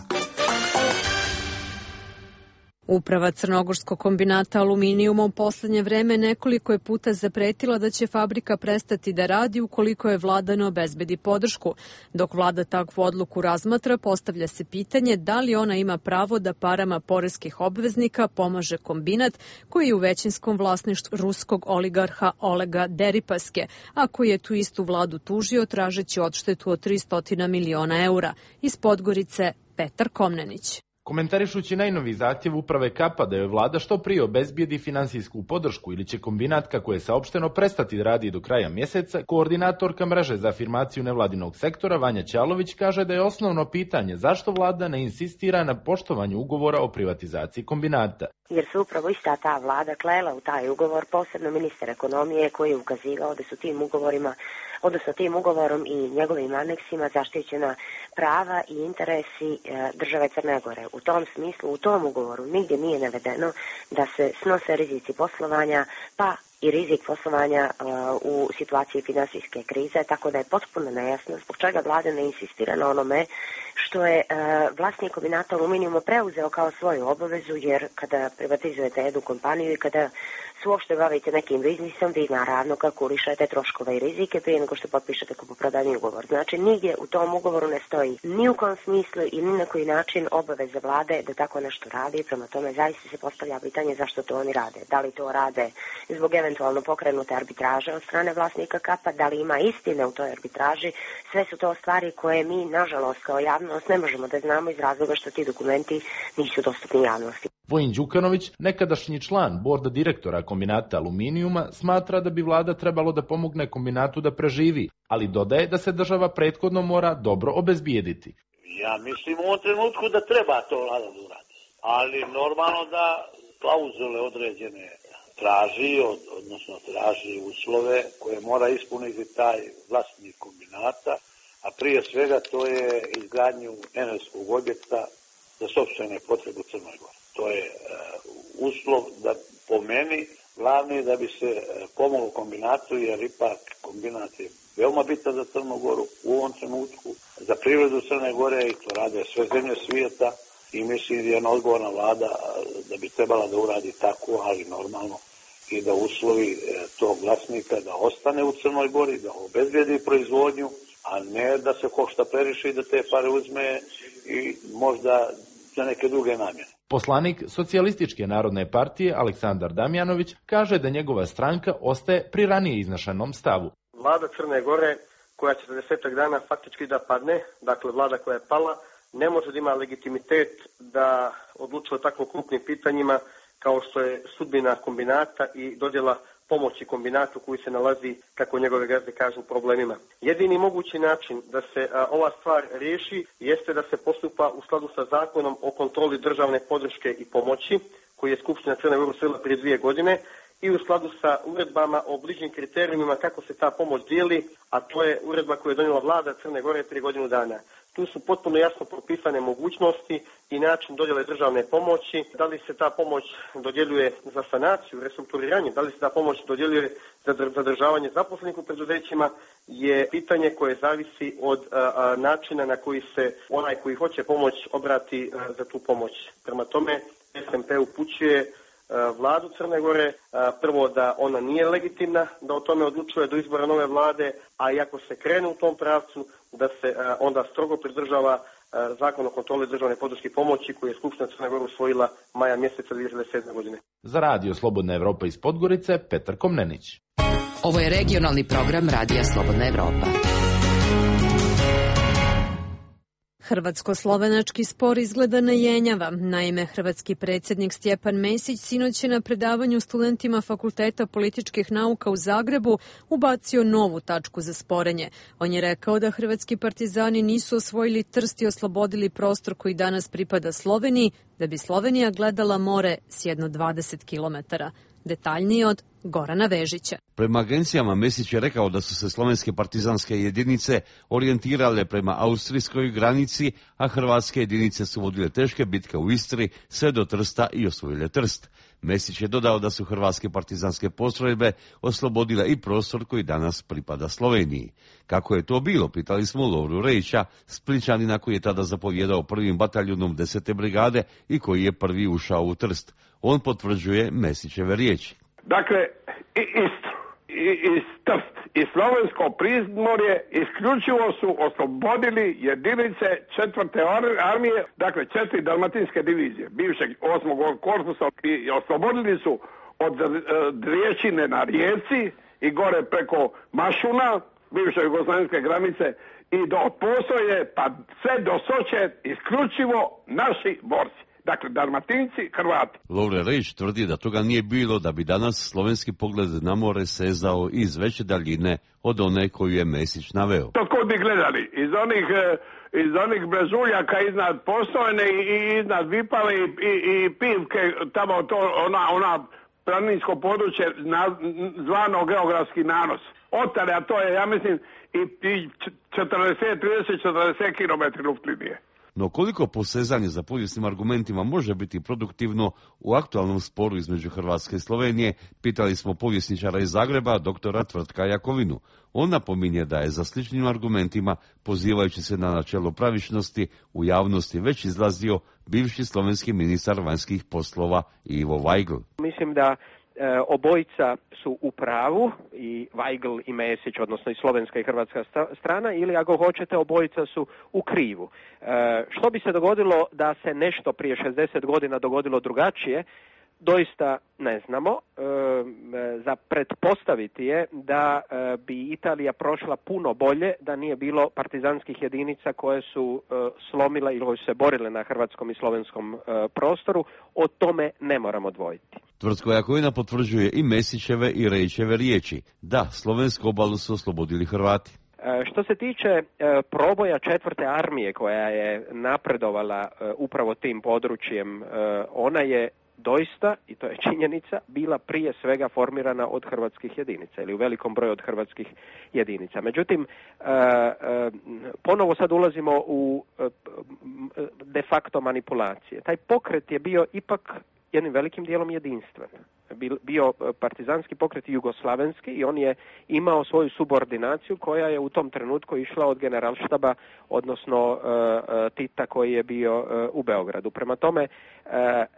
Uprava Crnogorskog kombinata aluminijuma u posljednje vreme nekoliko je puta zapretila da će fabrika prestati da radi ukoliko je vlada ne obezbedi podršku. Dok vlada takvu odluku razmatra, postavlja se pitanje da li ona ima pravo da parama poreskih obveznika pomaže kombinat koji je u većinskom vlasništvu ruskog oligarha Olega Deripaske, a koji je tu istu vladu tužio tražeći odštetu od 300 miliona eura. Iz Podgorice, Petar Komnenić. Komentarišući najnovi zahtjev uprave Kapa da joj vlada što prije obezbijedi finansijsku podršku ili će kombinat, kako je saopšteno, prestati da radi do kraja mjeseca, koordinatorka mreže za afirmaciju nevladinog sektora Vanja Ćalović kaže da je osnovno pitanje zašto vlada ne insistira na poštovanju ugovora o privatizaciji kombinata. Jer se upravo ista ta vlada klela u taj ugovor, posebno ministar ekonomije koji je ukazivao da su tim ugovorom i njegovim aneksima zaštićena prava i interesi države Crne Gore. U tom smislu, u tom ugovoru nigdje nije navedeno da se snose rizici poslovanja, pa i rizik poslovanja u situaciji finansijske krize, tako da je potpuno nejasno zbog čega vlada ne insistira na onome što je vlasnik kombinata aluminijuma preuzeo kao svoju obavezu, jer kada privatizujete jednu kompaniju i kada se uopšte bavite nekim biznisom, vi naravno kalkulišete troškove i rizike prije nego što potpišete kupoprodajni ugovor. Znači, nigdje u tom ugovoru ne stoji ni u kom smislu i ni na koji način obaveza vlade da tako nešto radi. Prema tome, zaista se postavlja pitanje zašto to oni rade. Da li to rade zbog eventualno pokrenute arbitraže od strane vlasnika Kapa, da li ima istine u toj arbitraži. Sve su to stvari koje mi, nažalost, kao javnost ne možemo da znamo iz razloga što ti dokumenti nisu dostupni javnosti. Vojin Đukanović, nekadašnji član borda direktora kombinata aluminijuma, smatra da bi vlada trebalo da pomogne kombinatu da preživi, ali dodaje da se država prethodno mora dobro obezbijediti. Ja mislim u ovom trenutku da treba to vlada da uradi, ali normalno da klauzule određene traži, odnosno traži uslove koje mora ispuniti taj vlasnik kombinata, a prije svega to je izgradnju energetskog objekta za sopstvene potrebe u Crnoj Gori. To je uslov da po meni glavni da bi se pomoglo kombinatu, jer ipak kombinat je veoma bitan za Crnu Goru u ovom trenutku, za privredu Crne Gore i to rade sve zemlje svijeta i mislim da je jedna odgovorna vlada da bi trebala da uradi tako, ali normalno i da uslovi tog vlasnika da ostane u Crnoj Gori, da obezbijedi proizvodnju, a ne da se košta previše i da te pare uzme i možda za neke druge namjene. Poslanik Socijalističke narodne partije Aleksandar Damjanović kaže da njegova stranka ostaje pri ranije iznašanom stavu. Vlada Crne Gore, koja će za 10 dana faktički da padne, dakle vlada koja je pala, ne može da ima legitimitet da odlučuje o tako krupnim pitanjima kao što je sudbina kombinata i dodjela pomoći kombinatu koji se nalazi, kako njegove gazde kažu, u problemima. Jedini mogući način da se ova stvar riješi jeste da se postupa u skladu sa zakonom o kontroli državne podrške i pomoći, koji je Skupština Crne Gore usvojila prije 2 godine, i u skladu sa uredbama o bližnjim kriterijumima kako se ta pomoć dijeli, a to je uredba koju je donijela vlada Crne Gore prije godinu dana. Tu su potpuno jasno propisane mogućnosti i način dodjele državne pomoći, da li se ta pomoć dodjeljuje za sanaciju, restrukturiranje, da li se ta pomoć dodjeljuje za zadržavanje zaposlenih u preduzećima, je pitanje koje zavisi od načina na koji se onaj koji hoće pomoć obrati za tu pomoć. Prema tome, SMP upućuje vladu Crne Gore, prvo da ona nije legitimna, da o tome odlučuje do izbora nove vlade, a i ako se krene u tom pravcu, da se onda strogo pridržava zakon o kontroli državne podrške i pomoći koji je Skupština Crne Gore usvojila maja mjeseca 2007. godine. Za Radio Slobodna Evropa iz Podgorice, Petar Komnenić. Ovo je regionalni program Radija Slobodna Evropa. Hrvatsko-slovenački spor izgleda ne jenjava. Naime, hrvatski predsjednik Stjepan Mesić sinoć je na predavanju studentima Fakulteta političkih nauka u Zagrebu ubacio novu tačku za sporenje. On je rekao da hrvatski partizani nisu osvojili Trst i oslobodili prostor koji danas pripada Sloveniji, da bi Slovenija gledala more s jedno 20 kilometara. Detaljnije od Gorana Vežića. Prema agencijama Mesić je rekao da su se slovenske partizanske jedinice orijentirale prema austrijskoj granici, a hrvatske jedinice su vodile teške bitke u Istri sve do Trsta i osvojile Trst. Mesić je dodao da su hrvatske partizanske postrojbe oslobodile i prostor koji danas pripada Sloveniji. Kako je to bilo, pitali smo Lovru Rejića, Splićanina koji je tada zapovjedao 1. bataljunom 10. brigade i koji je prvi ušao u Trst. On potvrđuje Mesićeve riječi. Dakle, i Istru, i Trst, i Slovensko Primorje isključivo su oslobodili jedinice 4. armije, dakle 4 dalmatinske divizije, bivšeg 8. korpusa, i oslobodili su od Riječine na Rijeci i gore preko Mašuna, bivše jugoslavenske granice, i do Posoje, pa sve do Soče, isključivo naši borci. Dakle, Dalmatinci, Hrvati. Lovre Rejić tvrdi da toga nije bilo, da bi danas slovenski pogled na more sezao iz veće daljine od one koju je Mesić naveo. To kod bi gledali, iz onih brežuljaka iznad Postojne i iznad Vipale i Pivke, tamo to, ona planinsko područje zvano geografski nanos. Otale, a to je, ja mislim, i 30-40 km luftlinije. No koliko posezanje za povijesnim argumentima može biti produktivno u aktualnom sporu između Hrvatske i Slovenije, pitali smo povjesničara iz Zagreba, doktora Tvrtka Jakovinu. On napominje da je za sličnim argumentima, pozivajući se na načelo pravičnosti, u javnosti već izlazio bivši slovenski ministar vanjskih poslova Ivo Vajgl. Mislim da obojica su u pravu, i Weigl i Mesić, odnosno i slovenska i hrvatska strana, ili ako hoćete, obojica su u krivu. Što bi se dogodilo da se nešto prije 60 godina dogodilo drugačije, doista ne znamo. Za pretpostaviti je da bi Italija prošla puno bolje da nije bilo partizanskih jedinica koje su slomile ili koje su se borile na hrvatskom i slovenskom prostoru. O tome ne moramo dvojiti. Tvrtko Jakovina potvrđuje i Mesićeve i Rejićeve riječi. Da, slovensku obalu su oslobodili Hrvati. Što se tiče proboja 4. armije koja je napredovala upravo tim područjem, ona je doista, i to je činjenica, bila prije svega formirana od hrvatskih jedinica ili u velikom broju od hrvatskih jedinica. Međutim, ponovo sad ulazimo u de facto manipulacije. Taj pokret je bio ipak jednim velikim dijelom jedinstven. Bio partizanski pokret jugoslavenski i on je imao svoju subordinaciju koja je u tom trenutku išla od generalštaba, odnosno Tita koji je bio u Beogradu. Prema tome,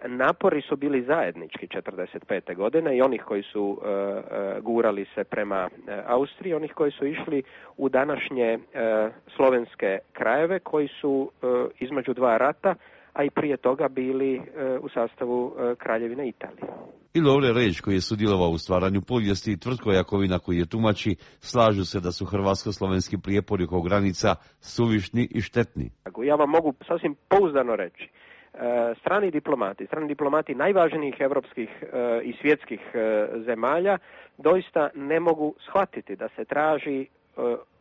napori su bili zajednički 45. godine i onih koji su gurali se prema Austriji, onih koji su išli u današnje slovenske krajeve koji su između dva rata, a i prije toga bili u sastavu Kraljevine Italije. I Lovre Rejić, koji je sudjelovao u stvaranju povijesti, i Tvrtko Jakovina, koji je tumači, slažu se da su hrvatsko-slovenski prijepori oko granica suvišni i štetni. Ja vam mogu sasvim pouzdano reći, strani diplomati najvažnijih evropskih i svjetskih zemalja doista ne mogu shvatiti da se traži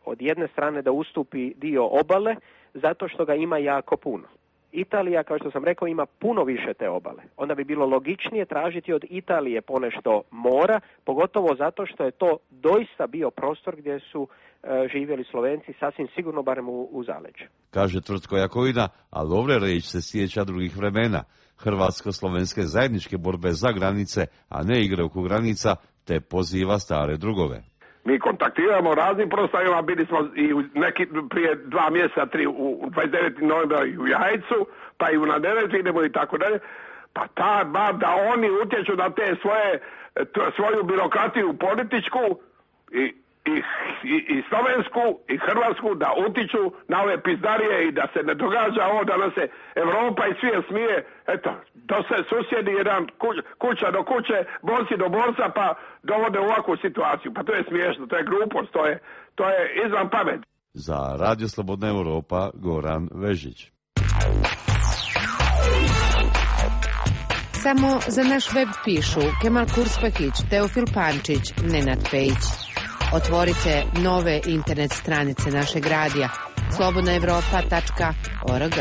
od jedne strane da ustupi dio obale zato što ga ima jako puno. Italija, kao što sam rekao, ima puno više te obale. Onda bi bilo logičnije tražiti od Italije ponešto mora, pogotovo zato što je to doista bio prostor gdje su živjeli Slovenci, sasvim sigurno barem u zaleđu. Kaže Tvrtko Jakovina, a Lovre Rejić se sjeća drugih vremena, hrvatsko-slovenske zajedničke borbe za granice, a ne igre oko granica, te poziva stare drugove. Mi kontaktiramo raznim prostavima, bili smo i prije 2 mjeseca, 3, u 29. novembra i u Jajcu, pa i u Naderetu idemo i tako dalje. Pa da oni utječu na te svoju birokratiju političku i slovensku i hrvatsku, da utiču na ove pizdarije i da se ne događa ovo da nas se Evropa i svijet smije. Eto, to se susjedi jedan kuća do kuće, borci do borca, pa dovode u ovakvu situaciju. Pa to je smiješno, to je glupost, to je izvan pamet. Za Radio Slobodna Europa, Goran Vežić. Samo za naš web pišu Kemal Kurspahić, Teofil Pančić, Nenad Pejić. Otvorite nove internet stranice našeg radija slobodnaevropa.org.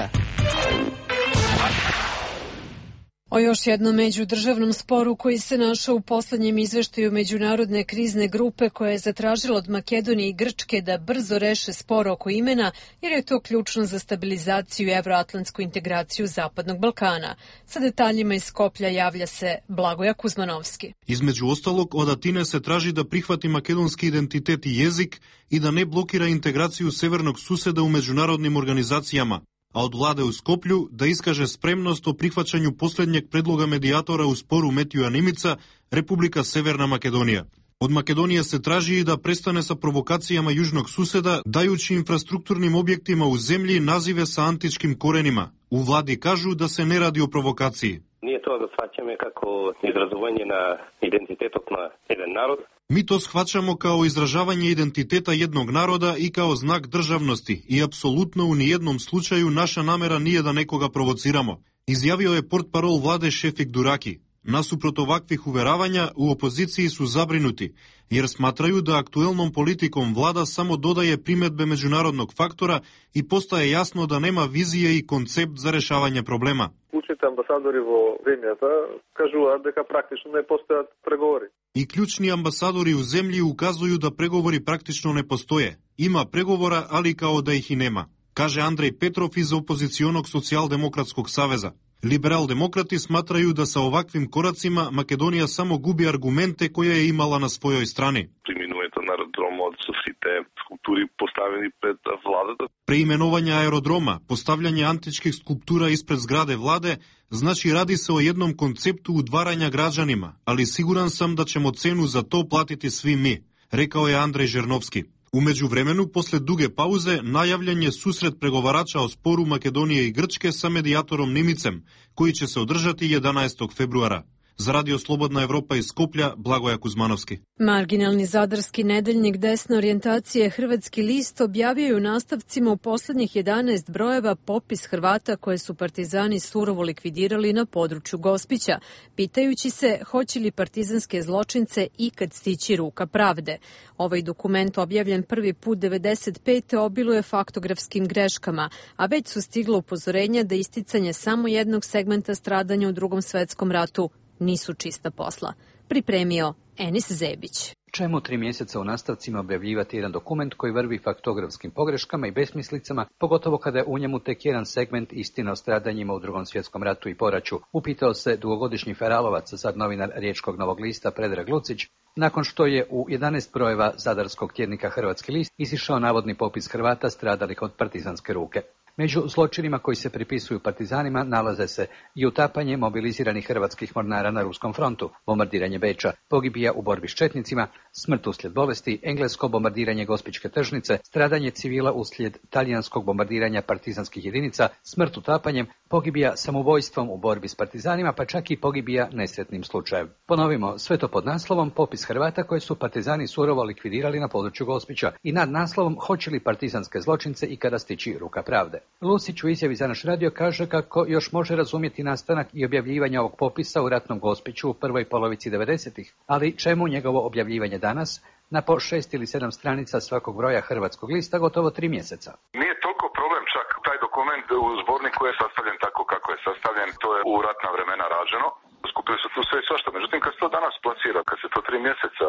O još jednom međudržavnom sporu koji se našao u poslednjem izveštaju Međunarodne krizne grupe koja je zatražila od Makedonije i Grčke da brzo reše spor oko imena, jer je to ključno za stabilizaciju i evroatlantsku integraciju Zapadnog Balkana. Sa detaljima iz Skoplja javlja se Blagoja Kuzmanovski. Između ostalog, od Atine se traži da prihvati makedonski identitet i jezik i da ne blokira integraciju severnog suseda u međunarodnim organizacijama, a od vlade u Skoplju da iskaže spremnost o prihvaćanju posljednjeg predloga medijatora u sporu Metiju Nimica, Republika Severna Makedonija. Od Makedonije se traži i da prestane sa provokacijama južnog suseda, dajući infrastrukturnim objektima u zemlji nazive sa antičkim korenima. U vladi kažu da se ne radi o provokaciji. Nije to da shvaćamo kako izrazovanje na identitetok na jedan narod. Mi to shvaćamo kao izražavanje identiteta jednog naroda i kao znak državnosti i apsolutno u nijednom slučaju naša namera nije da nekoga provociramo, izjavio je portparol vlade Šefik Duraki. Nasuprot ovakvih uveravanja, u opoziciji su zabrinuti, jer smatraju da aktuelnom politikom vlada samo dodaje primjedbe međunarodnog faktora i postaje jasno da nema vizije i koncept za rešavanje problema. Učite ambasadori vo zemljata kažu da praktično ne postoje pregovori. I ključni ambasadori u zemlji ukazuju da pregovori praktično ne postoje. Ima pregovora, ali kao da ih i nema, kaže Andrej Petrov iz opozicionog socijaldemokratskog saveza. Liberal-demokrati smatraju da sa ovakvim koracima Makedonija samo gubi argumente koje je imala na svojoj strani. Priminuje to narod aerodrom, od su svi te skulpturi postavljeni pred vladата. Преименување аеродрома, постављање античких скулптура испред зграде владе, значи ради се о едном концепту удварања граđанима, али сигуран сам да ќемо цену за то платити сви ми, рекао е Андреј Жерновски. Умеѓу времену, после дуге паузе, најављен е сусрет преговарача о спору Македонија и Грчке са медијатором Немицем, кој ќе се одржати 11. февруара. За Радио Slobodna Evropa iz Skoplja, Blagoja Kuzmanovski. Marginalni zadarski nedeljnik desne orijentacije Hrvatski list objavio je u nastavcima u poslednjih 11 brojeva popis Hrvata koje su partizani surovo likvidirali na području Gospića, pitajući se hoće li partizanske zločince ikad stići ruka pravde. Ovaj dokument, objavljen prvi put 95. obiluje faktografskim greškama, a već su stigla upozorenja da isticanje samo jednog segmenta stradanja u Drugom svetskom ratu nisu čista posla. Pripremio Enis Zebić. Čemu 3 mjeseca u nastavcima objavljivati jedan dokument koji vrvi faktografskim pogreškama i besmislicama, pogotovo kada je u njemu tek jedan segment istine o stradanjima u Drugom svjetskom ratu i poraću, upitao se dugogodišnji feralovac, sad novinar Riječkog Novog lista Predrag Lucić, nakon što je u 11 brojeva zadarskog tjednika Hrvatski list izišao navodni popis Hrvata stradalih od partizanske ruke. Među zločinima koji se pripisuju partizanima nalaze se i utapanje mobiliziranih hrvatskih mornara na ruskom frontu, bombardiranje Beča, pogibija u borbi s četnicima, smrt uslijed bolesti, englesko bombardiranje Gospićke tržnice, stradanje civila uslijed talijanskog bombardiranja partizanskih jedinica, smrt utapanjem, pogibija samoubojstvom u borbi s partizanima, pa čak i pogibija nesretnim slučajem. Ponovimo, sve to pod naslovom popis Hrvata koje su partizani surovo likvidirali na području Gospića i nad naslovom hoće li partizanske zločince ikada stići ruka pravde. Lusić u izjavi za naš radio kaže kako još može razumjeti nastanak i objavljivanje ovog popisa u ratnom Gospiću u prvoj polovici 90-ih, ali čemu njegovo objavljivanje danas, na po 6 ili 7 stranica svakog broja Hrvatskog lista gotovo 3 mjeseca. Nije toliko problem čak taj dokument u zborniku je sastavljen tako kako je sastavljen, to je u ratna vremena rađeno. Skupili su tu sve i svašta. Međutim, kad se to danas plasira, kad se to 3 mjeseca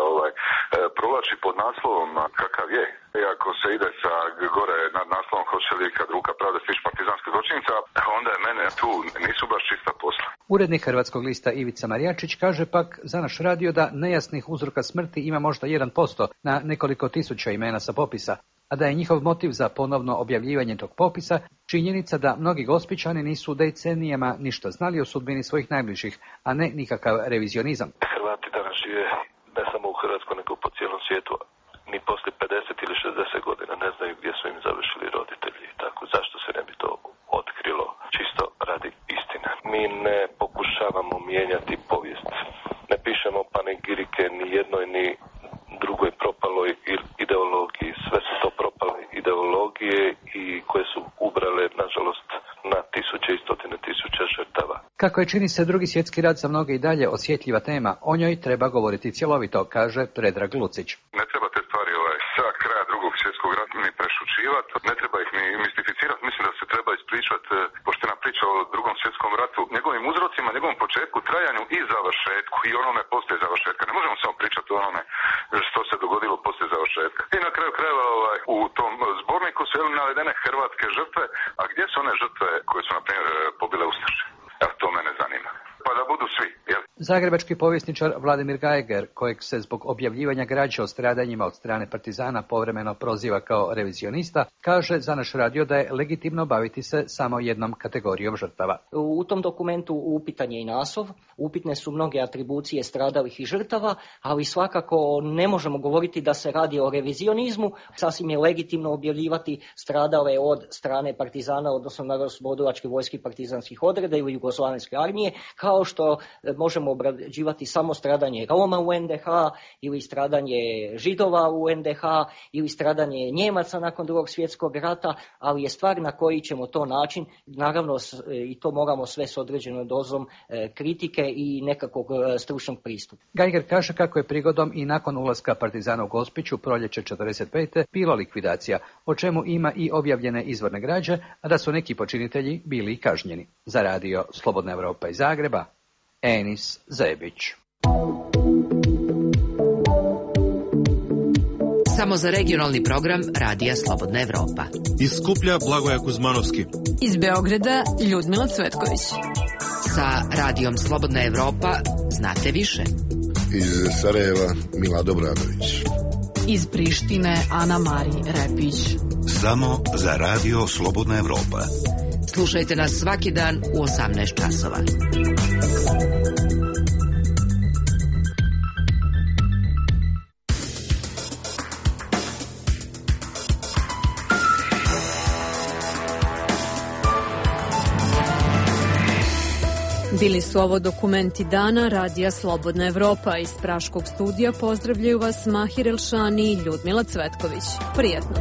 provlači pod naslovom kakav je, i ako se ide sa gore nad naslovom hoće li kad ruka pravde stići partizanske zločinca, onda je mene tu nisu baš čista posla. Urednik Hrvatskog lista Ivica Marijačić kaže pak za naš radio da nejasnih uzroka smrti ima možda 1% na nekoliko tisuća imena sa popisa, a da je njihov motiv za ponovno objavljivanje tog popisa činjenica da mnogi Gospićani nisu decenijama ništa znali o sudbini svojih najbližih, a ne nikakav revizionizam. Hrvati danas žive ne samo u Hrvatskoj, nego po cijelom svijetu. Ni poslije 50 ili 60 godina ne znaju gdje su im završili roditelji. Tako zašto se ne bi to otkrilo čisto radi istine? Mi ne pokušavamo mijenjati povijest. Ne pišemo panegirike ni jednoj ni drugoj propaloj ideologiji. Sve su to propale ideologije i koje su ubrale, nažalost, na tisuće i stotine tisuća žrtava. Kako je čini se Drugi svjetski rat za mnoge i dalje osjetljiva tema, o njoj treba govoriti cjelovito, kaže Predrag Lucić. Ne treba te stvari sa kraja Drugog svjetskog rata ni prešućivati, ne treba ih ni mistificirati, mislim da se treba ispričati poštena priča o Drugom svjetskom ratu, njegovim uzrocima, njegovom početku, trajanju i završetku i onome poslije završetka. Ne možemo samo pričati o onome što se dogodilo poslije završetka. I na kraju krajeva u tom zborniku su navedene hrvatske žrtve, a gdje su one žrtve koje su, na primjer, pobile ustaše? Evo, to mene zanima. Pa da budu svi, jel? Zagrebački povjesničar Vladimir Geiger, kojeg se zbog objavljivanja građe o stradanjima od strane partizana povremeno proziva kao revizionista, kaže za naš radio da je legitimno baviti se samo jednom kategorijom žrtava. U tom dokumentu upitan je i naslov, upitne su mnoge atribucije stradalih i žrtava, ali svakako ne možemo govoriti da se radi o revizionizmu. Sasvim je legitimno objavljivati stradale od strane partizana, odnosno Narodnooslobodilačke vojske i partizanskih odreda ili Jugoslavenske armije, kao što možemo obrađivati samo stradanje Roma u NDH ili stradanje Židova u NDH ili stradanje Njemaca nakon Drugog svjetskog rata, ali je stvar na koji ćemo to način, naravno i to moramo sve s određenom dozom kritike i nekakvog stručnog pristupa. Geiger kaže kako je prigodom i nakon ulaska partizana u Gospić u proljeće 45. bilo likvidacija, o čemu ima i objavljene izvorne građe, a da su neki počinitelji bili kažnjeni. Za radio Slobodna Evropa iz Zagreba, Enis Zebić. Samo za regionalni program Radija Slobodna Evropa. Iz Skuplja Blagoja Kuzmanovski. Iz Beograda Ljudmila Cvetković. Sa Radijom Slobodna Evropa znate više. Iz Sarajeva Mila Dobranović. Iz Prištine Ana Mari Repić. Samo za Radio Slobodna Evropa. Slušajte nas svaki dan u 18 časova. Bili su ovo dokumenti dana Radija Slobodna Evropa. Iz Praškog studija pozdravljaju vas Mahir Elšani i Ljudmila Cvetković. Prijetno.